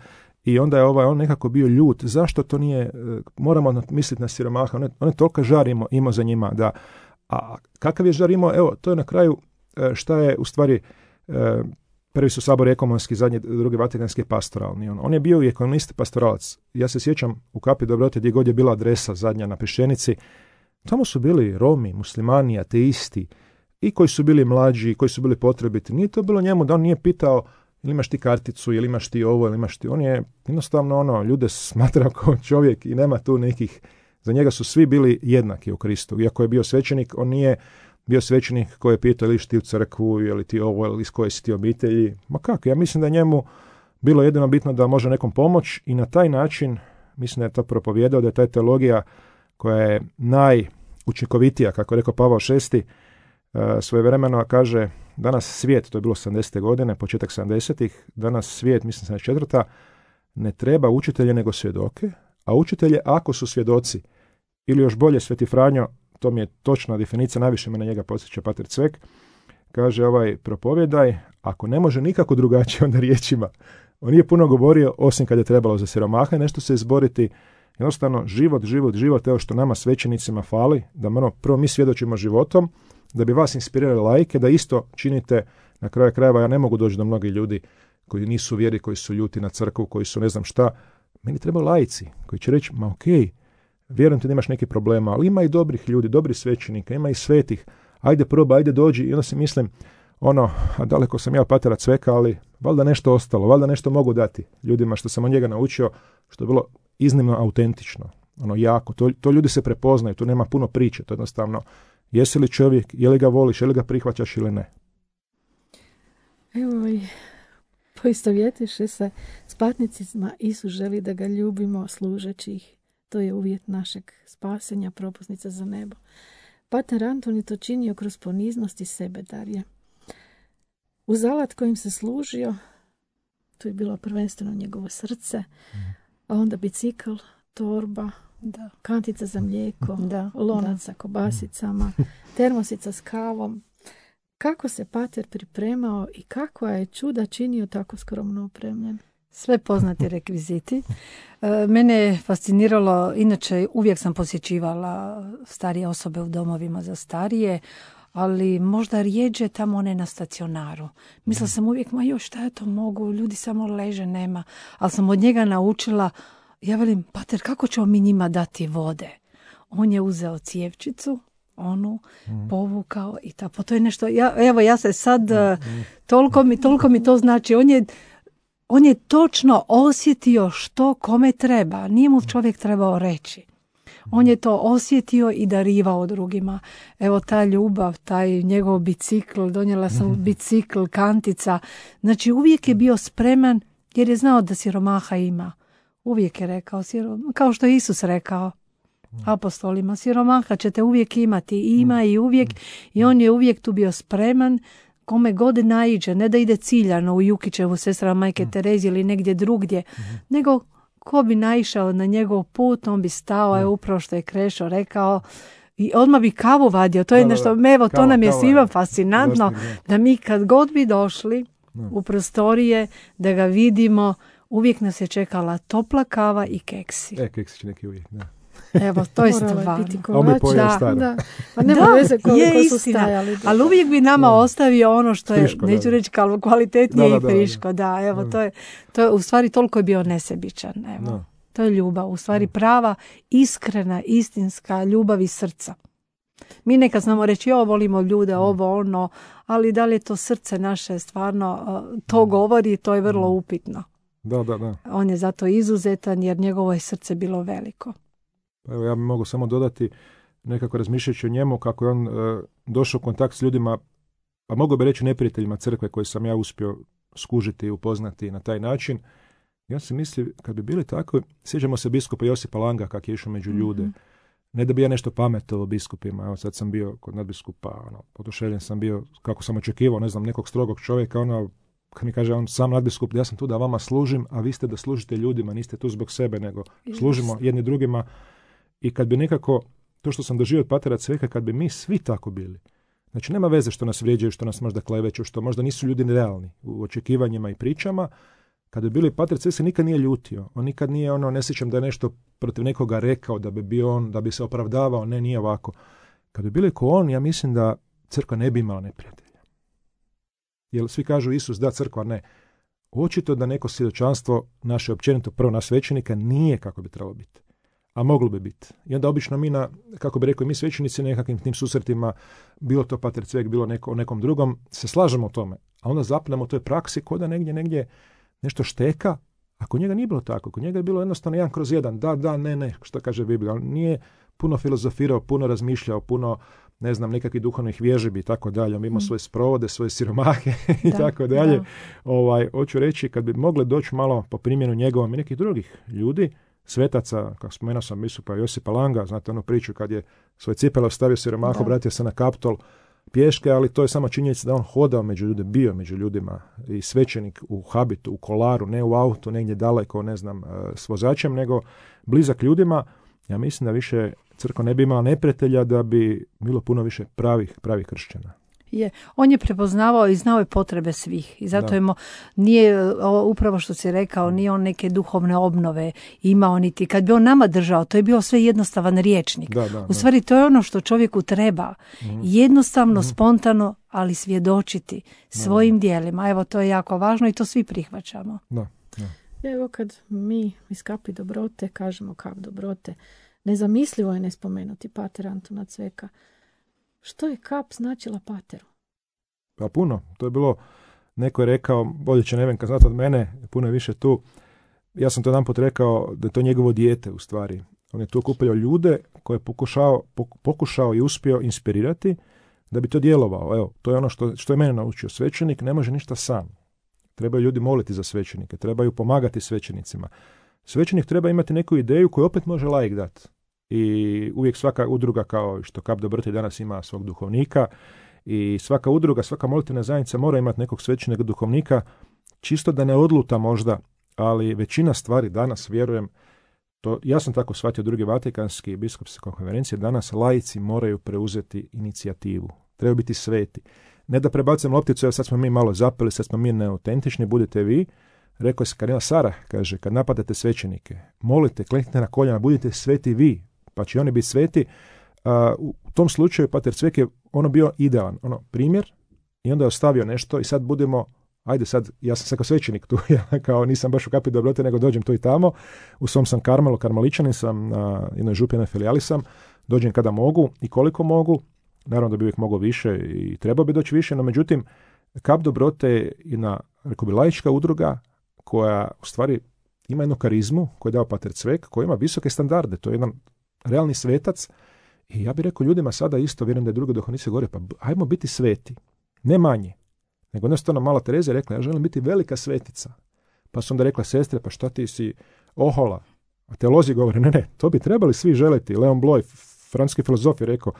i onda je ovaj, on nekako bio ljut, zašto to nije, moramo misliti na siromaha, on je, on je toliko žar imao, imao za njima, da, a kakav je žar imao, evo, to je na kraju šta je u stvari, prvi su sabor ekonomski, zadnji, drugi vatikanski pastoralni, on, on je bio i ekonomist pastoralac, ja se sjećam u Kapi dobrote gdje god je bila adresa zadnja na Peščenici, tamo su bili Romi, muslimani, ateisti, i koji su bili mlađi, i koji su bili potrebiti. Nije to bilo njemu da on nije pitao ili imaš ti karticu, ili imaš ti ovo, ili imaš ti... On je jednostavno ono, ljude smatrao kao čovjek i nema tu nekih... Za njega su svi bili jednaki u Kristu. Iako je bio svećenik, on nije bio svećenik koji je pitao ili ti u crkvu, ili ti ovo, ili iz koje si ti obitelji. Ma kako, ja mislim da njemu bilo jedino bitno da može nekom pomoć i na taj način, mislim da je to propovijedao, da je ta teologija koja je najučinkovitija, kako je rekao Pavao šesti, svojevremeno kaže, danas svijet, to je bilo sedamdesete godine, početak sedamdesetih, danas svijet, mislim sedamdeset četvrta ne treba učitelje nego svjedoke, a učitelje ako su svjedoci, ili još bolje Sveti Franjo, to mi je točna definicija, najviše me na njega podsjeća Pater Cvek, kaže ovaj propovjedaj, ako ne može nikako drugačije, onda riječima. On nije puno govorio, osim kad je trebalo za siromaha nešto se izboriti, jednostavno život, život, život, evo što nama svećenicima fali, da ono, prvo mi svjedočimo životom, da bi vas inspirirali laike, da isto činite, na kraju krajeva, ja ne mogu doći do mnogih ljudi koji nisu vjeri, koji su ljuti na crkvu, koji su ne znam šta. Meni trebaju laici koji će reći, ma okej, vjerujem ti da imaš neki problema, ali ima i dobrih ljudi, dobrih svećenika, ima i svetih, ajde proba, ajde dođi. I onda si mislim, ono, a daleko sam ja od Patera Cveka, ali valjda nešto ostalo, valjda nešto mogu dati ljudima što sam od njega naučio, što je bilo iznimno autentično, ono jako, to, to ljudi se prepoznaju, tu nema puno priče, to jednostavno, jesi li čovjek, je li ga voliš, je li ga prihvaćaš ili ne? Evo i poistovjetiše se s patnicima, Isus želi da ga ljubimo služeći ih. To je uvjet našeg spasenja, propusnica za nebo. Pater Anton je to činio kroz poniznost i sebedarje. Uz alat kojim se služio, to je bilo prvenstveno njegovo srce, a onda bicikl, torba, da. Kantica za mlijeko, da, lonac sa kobasicama, termosica s kavom. Kako se pater pripremao i kakva je čuda činio tako skromno opremljen? Sve poznati rekviziti. Mene je fasciniralo, inače uvijek sam posjećivala starije osobe u domovima za starije, ali možda rijeđe tamo one na stacionaru. Mislila sam uvijek, ma još šta ja to mogu, ljudi samo leže, nema. Ali sam od njega naučila, ja velim, pater, kako ćemo mi njima dati vode? On je uzeo cijevčicu, onu mm. povukao i ta, pa to je nešto, ja, evo ja se sad, mm. toliko, mi, toliko mi to znači, on je, on je točno osjetio što kome treba, nije mu čovjek trebao reći. On je to osjetio i darivao drugima. Evo ta ljubav, taj njegov bicikl, donijela sam mm. bicikl, kantica, znači uvijek je bio spreman jer je znao da siromaha ima. Uvijek je rekao, kao što je Isus rekao apostolima, siromaha ćete uvijek imati, i ima i uvijek, i on je uvijek tu bio spreman, kome god naiđe, ne da ide ciljano u Jukićevu sestra Majke Terezije ili negdje drugdje, nego ko bi naišao na njegov put, on bi stao, je upravo što je Krešo rekao, i odmah bi kavu vadio, to je da, nešto, da, evo, kava, to nam je svima fascinantno, došli, da mi kad god bi došli da. u prostorije, da ga vidimo, uvijek nas je čekala topla kava i keksi. E, keksi će neki uvijek, da. Evo, to je stvarno. Da, da. Pa nema da, veze koliko su stajali. Ali uvijek bi nama da. ostavio ono što je, friško, neću da, reći kvalitetnije da, da, i friško. Da, da, evo, da. To, je, to je, u stvari toliko je bio nesebičan. Evo. Da. To je ljubav, u stvari prava, iskrena, istinska ljubav iz srca. Mi nekad znamo reći, jo, volimo ljude, ovo, ono, ali da li je to srce naše stvarno, to govori, to je vrlo upitno. Da, da, da. On je zato izuzetan jer njegovo je srce bilo veliko. Evo, ja mogu samo dodati, nekako razmišljajući o njemu, kako je on e, došao u kontakt s ljudima, a mogu bi reći neprijateljima crkve koje sam ja uspio skužiti i upoznati na taj način. Ja se mislim, kad bi bili tako, sjećamo se biskupa Josipa Langa kak je išao među ljude. Mm-hmm. Ne da bi ja nešto pametovao biskupima, evo sad sam bio kod nadbiskupa, ono, oduševljen sam bio, kako sam očekivao, ne znam, nekog strogog čovjeka, ono, kad mi kaže on sam nadbiskup, ja sam tu da vama služim, a vi ste da služite ljudima, niste tu zbog sebe, nego služimo jedni drugima. I kad bi nekako, to što sam doživio od patera Cveka, kad bi mi svi tako bili, znači nema veze što nas vrijeđaju, što nas možda kleveću, što možda nisu ljudi nerealni u očekivanjima i pričama, kad bi bili pater Cvek se nikad nije ljutio. On nikad nije ono, ne sjećam da je nešto protiv nekoga rekao, da bi bio on, da bi se opravdavao, ne, nije ovako. Kad bi bili ko on, ja mislim da crkva ne bi imala neprijatelja. Jer svi kažu Isus da, crkva ne. Očito da neko svjedočanstvo naše općenito prvo na svećenika nije kako bi trebalo biti. A moglo bi biti. I onda obično mi na, kako bi rekao, mi svećenici nekakvim tim susretima, bilo to pater Cvek, bilo neko, o nekom drugom, se slažemo o tome. A onda zapnemo u toj praksi ko da negdje, negdje nešto šteka, a kod njega nije bilo tako. Kod njega je bilo jednostavno jedan kroz jedan. Da, da, ne, ne, što kaže Biblija. On nije puno filozofirao, puno razmišljao, puno, ne znam, nekakvih duhovnih vježbi i tako dalje. On ima mm. svoje sprovode, svoje siromahe i da, tako dalje. Da. Ovaj, hoću reći, kad bi mogli doći malo po primjenu njegovom i nekih drugih ljudi, svetaca, kako spomenuo sam biskupa Josipa Langa, znate onu priču kad je svoje cipele ostavio siromahu, obratio se na Kaptol pješke, ali to je samo činjenica da on hodao među ljude, bio među ljudima i svećenik u habitu, u kolaru, ne u autu, negdje daleko, ne znam, s vozačem, nego blizak ljudima. Ja mislim da više crkva ne bi imala neprijatelja, da bi bilo puno više pravih, pravih kršćana. Je. On je prepoznavao i znao je potrebe svih. I zato je mo, nije, upravo što si rekao, nije on neke duhovne obnove imao niti. Kad bi on nama držao, to je bio sve jednostavan riječnik. Da, da, u stvari, to je ono što čovjeku treba. Mm. Jednostavno, mm. spontano, ali svjedočiti svojim da. djelima. Evo, to je jako važno i to svi prihvaćamo. Da, da. Evo kad mi iz Kapi dobrote kažemo Kap dobrote, nezamislivo je ne spomenuti pater Antuna Cveka. Što je kap značila pateru? Pa puno. To je bilo, neko je rekao, bolje će Nevenka znati od mene, puno je više tu. Ja sam to jedanput rekao da je to njegovo dijete u stvari. On je tu okupljao ljude koje je pokušao, pokušao i uspio inspirirati da bi to djelovao. Evo, to je ono što, što je mene naučio. Svećenik ne može ništa sam. Trebaju ljudi moliti za svećenike, trebaju pomagati svećenicima. Svećenik treba imati neku ideju koju opet može laik dati. I uvijek svaka udruga, kao što Kap dobrote danas ima svog duhovnika, i svaka udruga, svaka molitevna zajednica mora imati nekog svećenog duhovnika, čisto da ne odluta možda, ali većina stvari danas, vjerujem, to, ja sam tako shvatio drugi Vatikanski biskupske konferencije, danas laici moraju preuzeti inicijativu. Trebaju biti sveti. Ne da prebacujemo lopticu, evo sad smo mi malo zapeli, sad smo mi neautentični, budite vi. Rekao je Kardinal Sara, kaže, kad napadate svećenike, molite, kleknite na koljena, budite sveti vi, pa će oni biti sveti. A, u tom slučaju pater Cvek je ono bio idealan, ono primjer, i onda je ostavio nešto i sad budemo, ajde sad, ja sam sad kao svećenik tu, ja kao nisam baš u Kapi dobrote, nego dođem tu i tamo, u svom sam Karmelu, karmeličanin sam, na jednoj župi, jednoj filijali sam, dođem kada mogu i koliko mogu, naravno da bi uvijek mogao više i trebao bi doći više, no međutim, Kap dobrote je jedna, rekao bi, laička udruga koja u stvari ima jednu karizmu koju je dao pater Cvek, koja ima visoke standarde, to je jedan realni svetac. I ja bih rekao ljudima sada isto, vjerujem da je druga duhovnica govore, pa ajmo biti sveti, ne manje. Nego jednostavno mala Tereza je rekla, ja želim biti velika svetica. Pa su onda rekla, sestre, pa šta ti si ohola? A teolozi govore, ne, ne, to bi trebali svi želiti. Leon Bloy, francuski filozof, je rekao,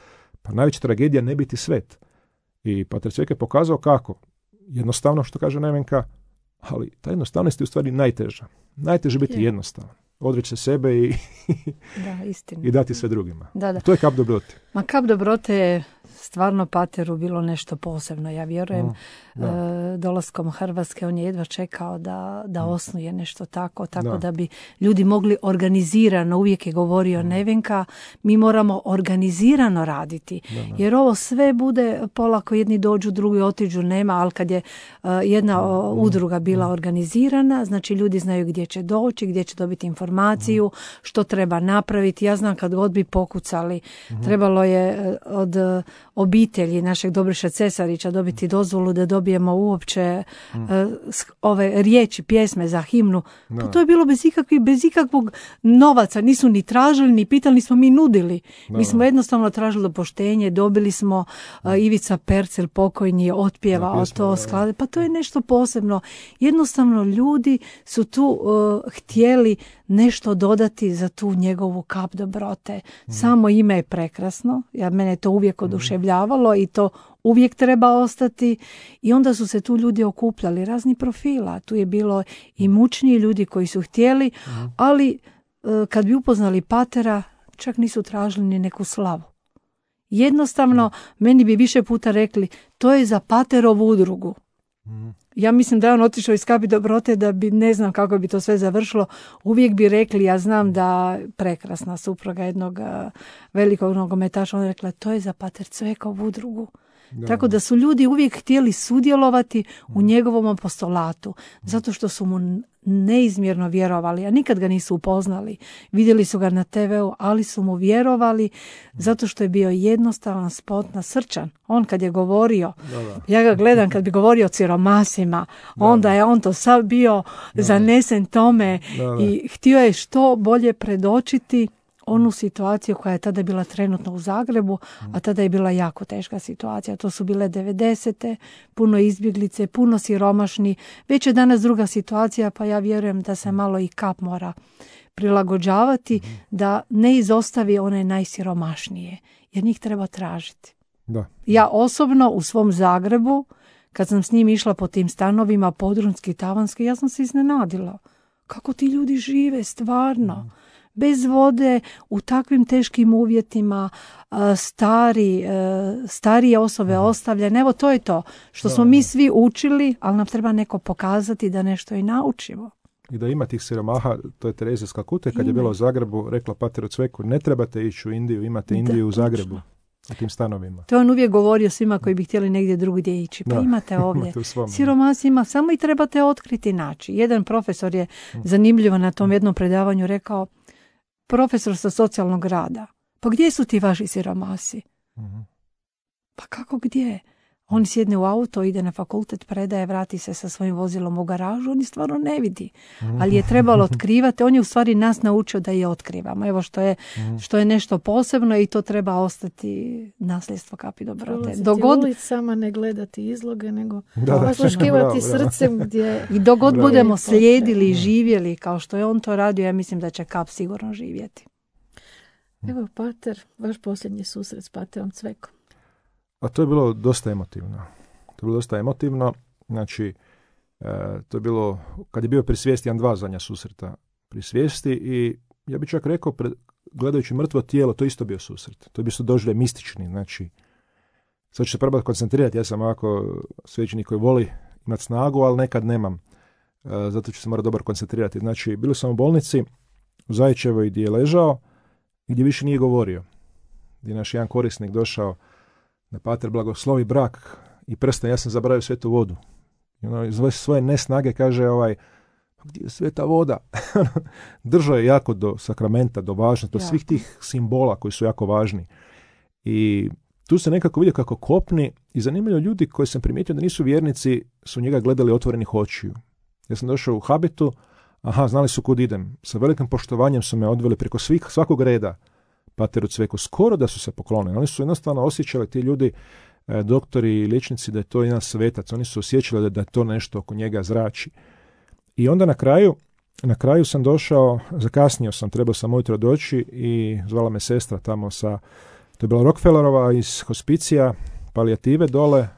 pa najveća tragedija ne biti svet. I pater Cvek je pokazao kako. Jednostavno, što kaže Nevenka, ali ta jednostavnost je u stvari najteža. Najteže biti je. jednostavan. Odreći se sebe i, da, istina. i dati sve drugima. Da, da. To je Kap dobrote. Ma Kap dobrote je stvarno pateru bilo nešto posebno. Ja vjerujem, mm, e, dolaskom Hrvatske on je jedva čekao da, da osnuje nešto tako, tako da. da bi ljudi mogli organizirano, uvijek je govorio mm. Nevenka, mi moramo organizirano raditi. Da, da. Jer ovo sve bude polako, jedni dođu, drugi otiđu, nema, ali kad je uh, jedna mm. udruga bila mm. organizirana, znači ljudi znaju gdje će doći, gdje će dobiti informaciju, mm. što treba napraviti. Ja znam kad god bi pokucali, mm. trebalo je od obitelji našeg Dobriša Cesarića dobiti dozvolu da dobijemo uopće mm. uh, ove riječi, pjesme za himnu. Pa to je bilo bez ikakvih, bez ikakvog novaca. Nisu ni tražili, ni pitali, nismo mi nudili. Da. Mi smo jednostavno tražili dopuštenje, dobili smo uh, Ivica Percel pokojni je otpjevao pjesme, to sklade. Pa to je nešto posebno. Jednostavno ljudi su tu uh, htjeli nešto dodati za tu njegovu Kap dobrote. Mm. Samo ime je prekrasno. Ja, mene to uvijek oduševljavalo i to uvijek treba ostati. I onda su se tu ljudi okupljali, razni profila. Tu je bilo i mučniji ljudi koji su htjeli, mm. ali uh, kad bi upoznali patera, čak nisu tražili ni neku slavu. Jednostavno, meni bi više puta rekli, to je za Paterovu udrugu. Ja mislim da je on otišao iz Kapi Dobrote da bi, ne znam kako bi to sve završilo, uvijek bi rekli, ja znam da prekrasna supruga jednog velikog nogometaša, ona je rekla, to je za Pater Cvekovu udrugu. Da. Tako da su ljudi uvijek htjeli sudjelovati u njegovom apostolatu, zato što su mu neizmjerno vjerovali, a nikad ga nisu upoznali. Vidjeli su ga na te veu, ali su mu vjerovali zato što je bio jednostavan, spotna, srčan. On kad je govorio, da, da. ja ga gledam kad bi govorio o siromasima, da, onda je on to sav bio da, zanesen tome da, da. i htio je što bolje predočiti onu situaciju koja je tada bila trenutno u Zagrebu, a tada je bila jako teška situacija. To su bile devedesete, puno izbjeglice, puno siromašni. Već je danas druga situacija, pa ja vjerujem da se malo i Kap mora prilagođavati, da ne izostavi one najsiromašnije, jer njih treba tražiti. Da. Ja osobno u svom Zagrebu, kad sam s njim išla po tim stanovima, podrumski, tavanski, ja sam se iznenadila. Kako ti ljudi žive stvarno? Bez vode, u takvim teškim uvjetima, stari, starije osobe ostavljene. Evo, to je to što smo mi svi učili, ali nam treba neko pokazati da nešto i naučimo. I da ima tih siromaha, to je Terezija iz Kalkute, kad je bila u Zagrebu, rekla Pateru Cveku, ne trebate ići u Indiju, imate Indiju da, u Zagrebu. U tim stanovima. To on uvijek govorio svima koji bi htjeli negdje drugdje ići. Pa da, imate ovdje. Imate siromasi ima, samo i trebate otkriti naći. Jedan profesor je zanimljivo na tom jednom predavanju rekao, profesor sa socijalnog rada, pa gdje su ti vaši siromasi? Uh-huh. Pa kako gdje? On sjedne u auto, ide na fakultet, predaje, vrati se sa svojim vozilom u garažu, on je stvarno ne vidi. Ali je trebalo otkrivati, on je u stvari nas naučio da je otkrivamo. Evo što je, što je nešto posebno i to treba ostati nasljedstvo Kapi Dobrote. Dogod ulicama ne gledati izloge, nego osluškivati srcem gdje... I dogod budemo slijedili i živjeli kao što je on to radio, ja mislim da će Kap sigurno živjeti. Evo, Pater, vaš posljednji susret s Paterom Cvekom. A to je bilo dosta emotivno. To je bilo dosta emotivno. Znači, e, to je bilo, kad je bio pri svijesti, jedan dva zadnja susreta pri svijesti i ja bih čak rekao, pred, gledajući mrtvo tijelo, to isto bio susret. To je bio doživljaj mistični. Znači, sad ću se probati koncentrirati. Ja sam ovako svećenik koji voli imati snagu, ali nekad nemam. E, zato ću se morati dobro koncentrirati. Znači, bili sam u bolnici u Zajićevoj gdje je ležao i gdje više nije govorio. Gdje je naš jedan korisnik došao da Pater blagoslovi brak i prsten, ja sam zaboravio svetu vodu. I ono, iz svoje nesnage kaže, ovaj, gdje je sveta voda? Držao je jako do sakramenta, do važnosti, do ja. svih tih simbola koji su jako važni. I tu se nekako vidio kako kopni i zanimljivo ljudi koji sam primijetio da nisu vjernici su njega gledali otvorenih očiju. Ja sam došao u habitu, aha, znali su kud idem. Sa velikim poštovanjem su me odveli preko svih, svakog reda Pateru Cveku, skoro da su se poklonili. Oni su jednostavno osjećali, ti ljudi, e, doktori i liječnici, da je to jedan svetac. Oni su osjećali da, da je to nešto oko njega zrači. I onda na kraju, na kraju sam došao, zakasnio sam, trebao sam ujutro doći i zvala me sestra tamo sa, to je bila Rockefellerova iz hospicija, palijative dole,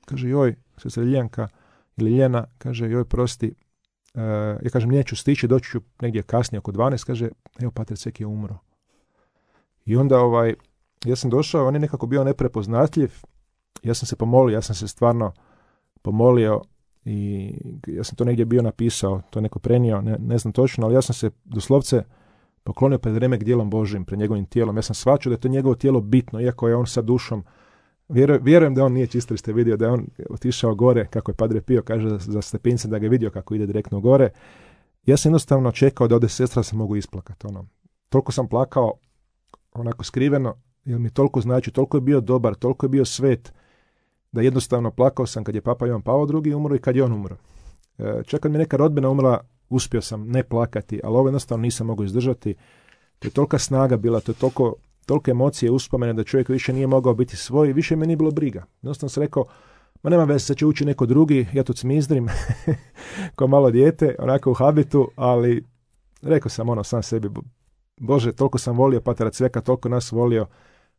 kaže, joj, sestra Ljiljana ili Ljena, kaže, joj, prosti, e, ja kažem, neću stići, doći ću negdje kasnije, oko dvanaest, kaže, evo, Pater Cvek je umro. I onda ovaj, ja sam došao, on je nekako bio neprepoznatljiv, ja sam se pomolio, ja sam se stvarno pomolio i ja sam to negdje bio napisao, to je neko prenio, ne, ne znam točno, ali ja sam se doslovce poklonio pred remek dijelom Božim, pred njegovim tijelom. Ja sam shvaćao da je to njegovo tijelo bitno, iako je on sa dušom. Vjerujem, vjerujem da on nije čisto, jer ste vidio da je on otišao gore, kako je Padre Pio kaže za, za stepince, da ga je vidio kako ide direktno gore. Ja sam jednostavno čekao da ode sestra se mogu isplakati. Ono. Toliko sam plakao, onako skriveno, jer mi toliko znači, toliko je bio dobar, toliko je bio svet, da jednostavno plakao sam kad je Papa Ivan Pavao drugi umro i kad je on umro. E, čak kad mi neka rodbina umrla, uspio sam ne plakati, ali ovo jednostavno nisam mogao izdržati. To je tolika snaga bila, to je toliko, tolike emocije, uspomene da čovjek više nije mogao biti svoj i više me nije bilo briga. Jednostavno sam rekao, ma nema veze, sad će ući neko drugi, ja tu cmizdrim, kao malo dijete, onako u habitu, ali rekao sam ono sam sebi, Bože, toliko sam volio Patera Cveka, toliko nas volio,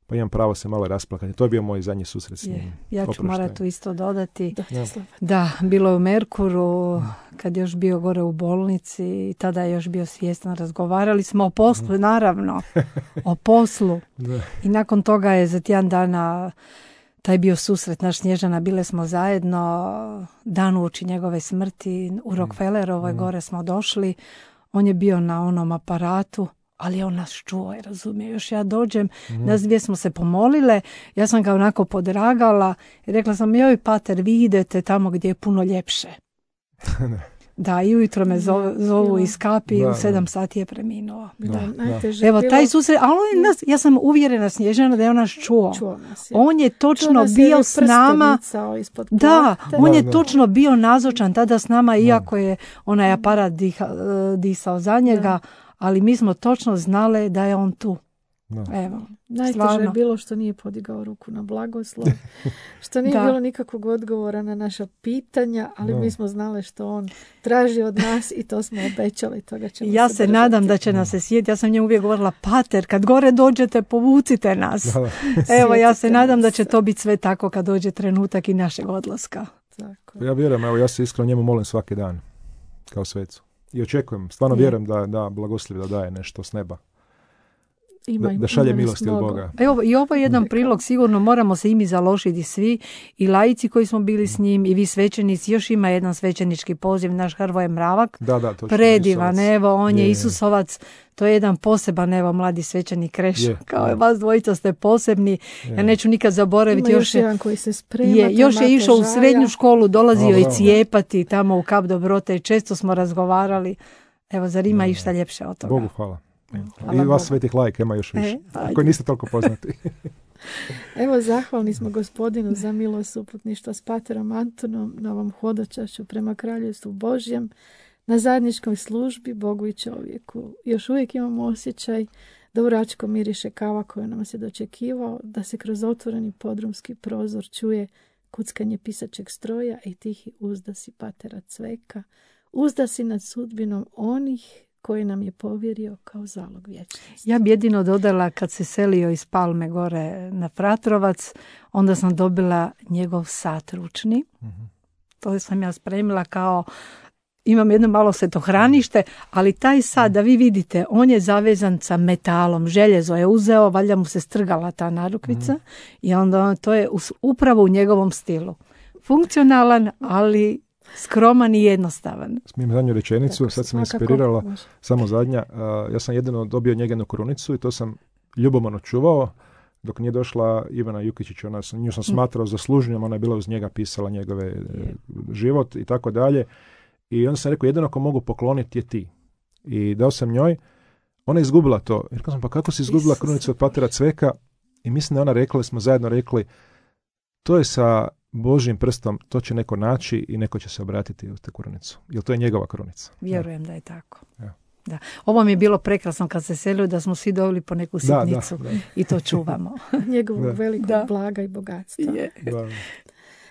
pa imam pravo se malo rasplakati. To je bio moj zadnji susret s njim. Je. Ja ću morati tu isto dodati. Da, Ja. Da, bilo je u Merkuru, kad je još bio gore u bolnici, tada je još bio svjestan, razgovarali smo o poslu, naravno, o poslu. Da. I nakon toga je za tjedan dana taj bio susret naš Snježana, bile smo zajedno, dan uoči njegove smrti, u Rockefellerovoj gore smo došli, on je bio na onom aparatu, ali on nas čuo i razumije. Još ja dođem, mm. nas dvije smo se pomolile, ja sam ga onako podragala i rekla sam, joj pater, vi idete tamo gdje je puno ljepše. Da, i ujutro me zovu, zovu iz kapi i u sedam sati je preminuo. Da, da. Evo, taj susret, ali on je nas, ja sam uvjerena Snježana da je on nas čuo. čuo nas, on je točno bio s nama. Da, on je da, točno bio nazočan tada s nama, iako je onaj aparat diha, disao za njega, da. Ali mi smo točno znali da je on tu. No. Evo, najteže je bilo što nije podigao ruku na blagoslov, što nije bilo nikakvog odgovora na naša pitanja, ali no. mi smo znali što on traži od nas i to smo obećali. Toga ćemo ja se, se držati. nadam da će nas se sjetiti. Ja sam njemu uvijek govorila, pater, kad gore dođete, povucite nas. Da, da. Evo, ja se nadam da će to biti sve tako kad dođe trenutak i našeg odlaska. Tako. Ja vjerujem, evo, ja se iskreno njemu molim svaki dan, kao svecu. I očekujem, stvarno je. vjerujem da, da blagoslovi da daje nešto s neba. Ima, da, da šalje milosti od Boga. Evo, i ovo je jedan prilog, sigurno moramo se i mi založiti svi, i laici koji smo bili s njim, i vi svećenici. Još ima jedan svećenički poziv, naš Hrvoje Mravak, da, da, predivan, Isusovac. Evo, on je, je Isusovac, to je jedan poseban, evo, mladi svećenik Krešo, kao je vas dvojica ste posebni, je. Ja neću nikad zaboraviti. Ima još, još jedan koji se sprema. Je, još je išao u srednju školu, dolazio o, i cijepati tamo u Kap Dobrote i često smo razgovarali. Evo, zar ima išta ljepše od toga? Bogu hvala. Hvala I vas Bogu. Svetih lajka ima još više, e, koji niste toliko poznati. Evo, zahvalni smo Gospodinu za milost uputništva s paterom Antonom na ovom hodočašću prema Kraljevstvu Božjem, na zajedničkoj službi Bogu i čovjeku. Još uvijek imamo osjećaj da u Račko miriše kava koju nam se dočekivao, da se kroz otvoreni podrumski prozor čuje kuckanje pisačeg stroja i tihi uzdasi patera Cveka, uzdasi nad sudbinom onih koji nam je povjerio kao zalog vječnosti. Ja bi jedino dodala, kad se selio iz Palme gore na Fratrovac, onda sam dobila njegov sat ručni. Mm-hmm. To sam ja spremila kao, imam jedno malo svetohranište, ali taj sat, da vi vidite, on je zavezan sa metalom, željezo je uzeo, valjda mu se strgala ta narukvica mm-hmm. i onda to je upravo u njegovom stilu. Funkcionalan, ali skroman i jednostavan. Smijem zadnju rečenicu, tako, sad sam inspirirala, može. Samo zadnja. Uh, ja sam jedino dobio njegenu krunicu i to sam ljubomorno čuvao, dok nije došla Ivana Jukićić, ona, nju sam smatrao zaslužnjom, ona je bila uz njega, pisala njegove yeah. život i tako dalje. I onda sam rekao, jedino ako mogu pokloniti je ti. I dao sam njoj, ona je izgubila to. I rekao sam, pa kako si izgubila Isus. krunicu od patera Cveka? I mislim da ona rekla, smo zajedno rekli, to je sa Božjim prstom, to će neko naći i neko će se obratiti u te krunicu. Jer to je njegova krunica. Vjerujem da, da je tako. Ja. Da. Ovo mi je bilo prekrasno kad se selio da smo svi dobili po neku sitnicu da, da, da. i to čuvamo. Njegovog da. velikog da. blaga i bogatstva. Yeah. Da.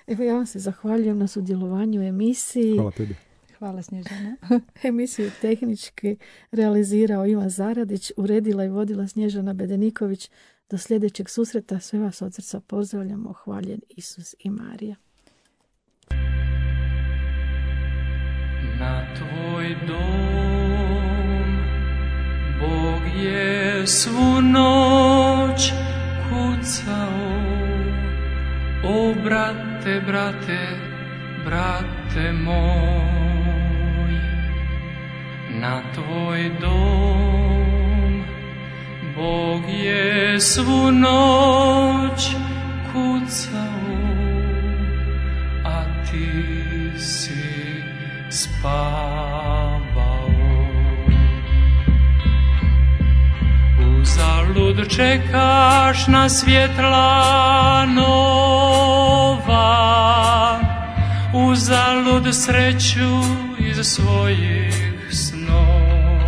Evo, ja vam se zahvaljujem na sudjelovanju u emisiji. Hvala tebi. Hvala Snježana. Emisiju tehnički realizirao Ivan Zaradić, uredila i vodila Snježana Bedeniković. Do sljedećeg susreta sve vas od srca pozdravljamo. Hvaljen Isus i Marija. Na tvoj dom Bog je svu noć kucao. O brate, brate, brate moj, na tvoj dom Bog je svu noć kucao, a ti si spavao. Uzalud čekaš na svjetla nova, uzalud sreću iz svojih snova.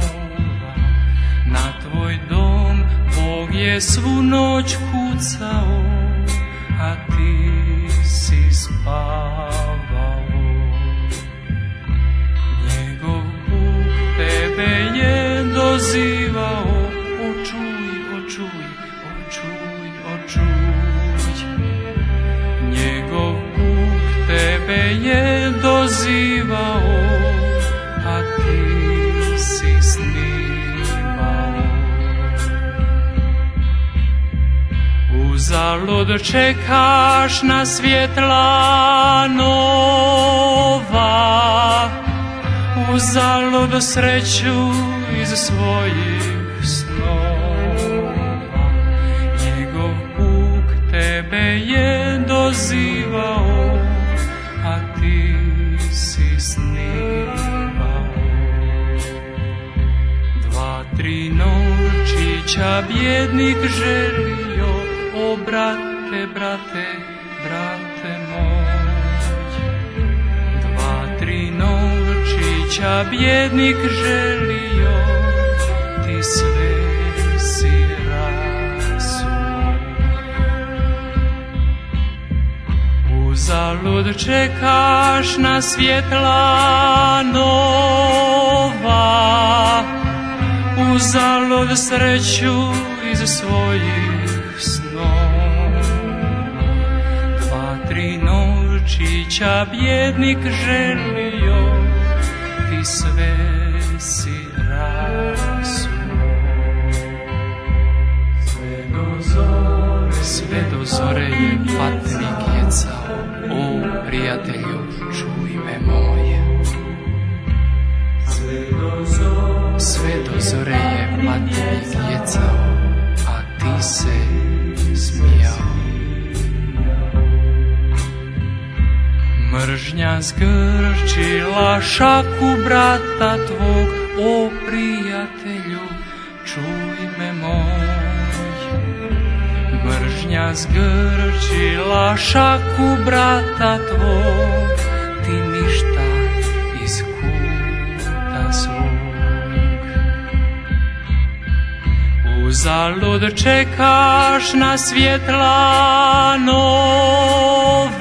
Na tvoj dom Bog je svu noć kucao, a ti si spavao. Njegov puk tebe je dozivao, očuj, očuj, očuj, očuj. Uzalud čekaš na svjetla nova, uzalud sreću iz svojih snova. Njegov puk tebe je dozivao, a ti si snimao. Dva, tri novčića bjednik želio, o brate, brate, brate moj. Dva, tri novčića bjednik želio, ti sve si rasuo. Uzalud čekaš na svjetla nova, uzalud sreću iz svojih snova. Dva, tri novčića bjednik želio, ti sve si rasuo. Sve do zore, sve do zore je patnik jecao, o prijatelju, čuj me moje. Sve do zore, sve do zore je patnik jecao, a ti se smijao. Mržnja zgrčila šaku brata tvog, o prijatelju, čuj me moj. Mržnja zgrčila šaku brata tvog, ti ništa iz kuta svog. Uzalud čekaš na svjetla nova,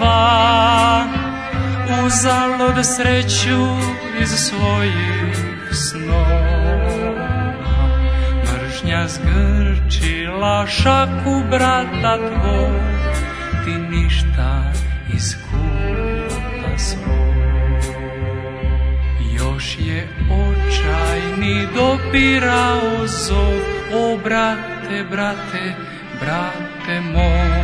uzalud sreću iz svojih snova. Mržnja zgrčila šaku brata tvog, ti ništa iz kuta svog. Još je očajni dopirao zov, o brate, brate, brate moj.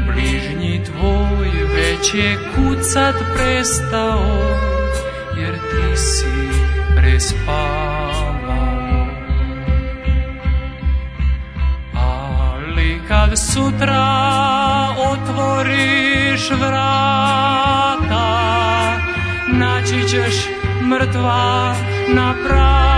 Bližnji tvoj već je kucat prestao, jer ti si prespavao. Ali kad sutra otvoriš vrata, naći ćeš mrtva na pragu.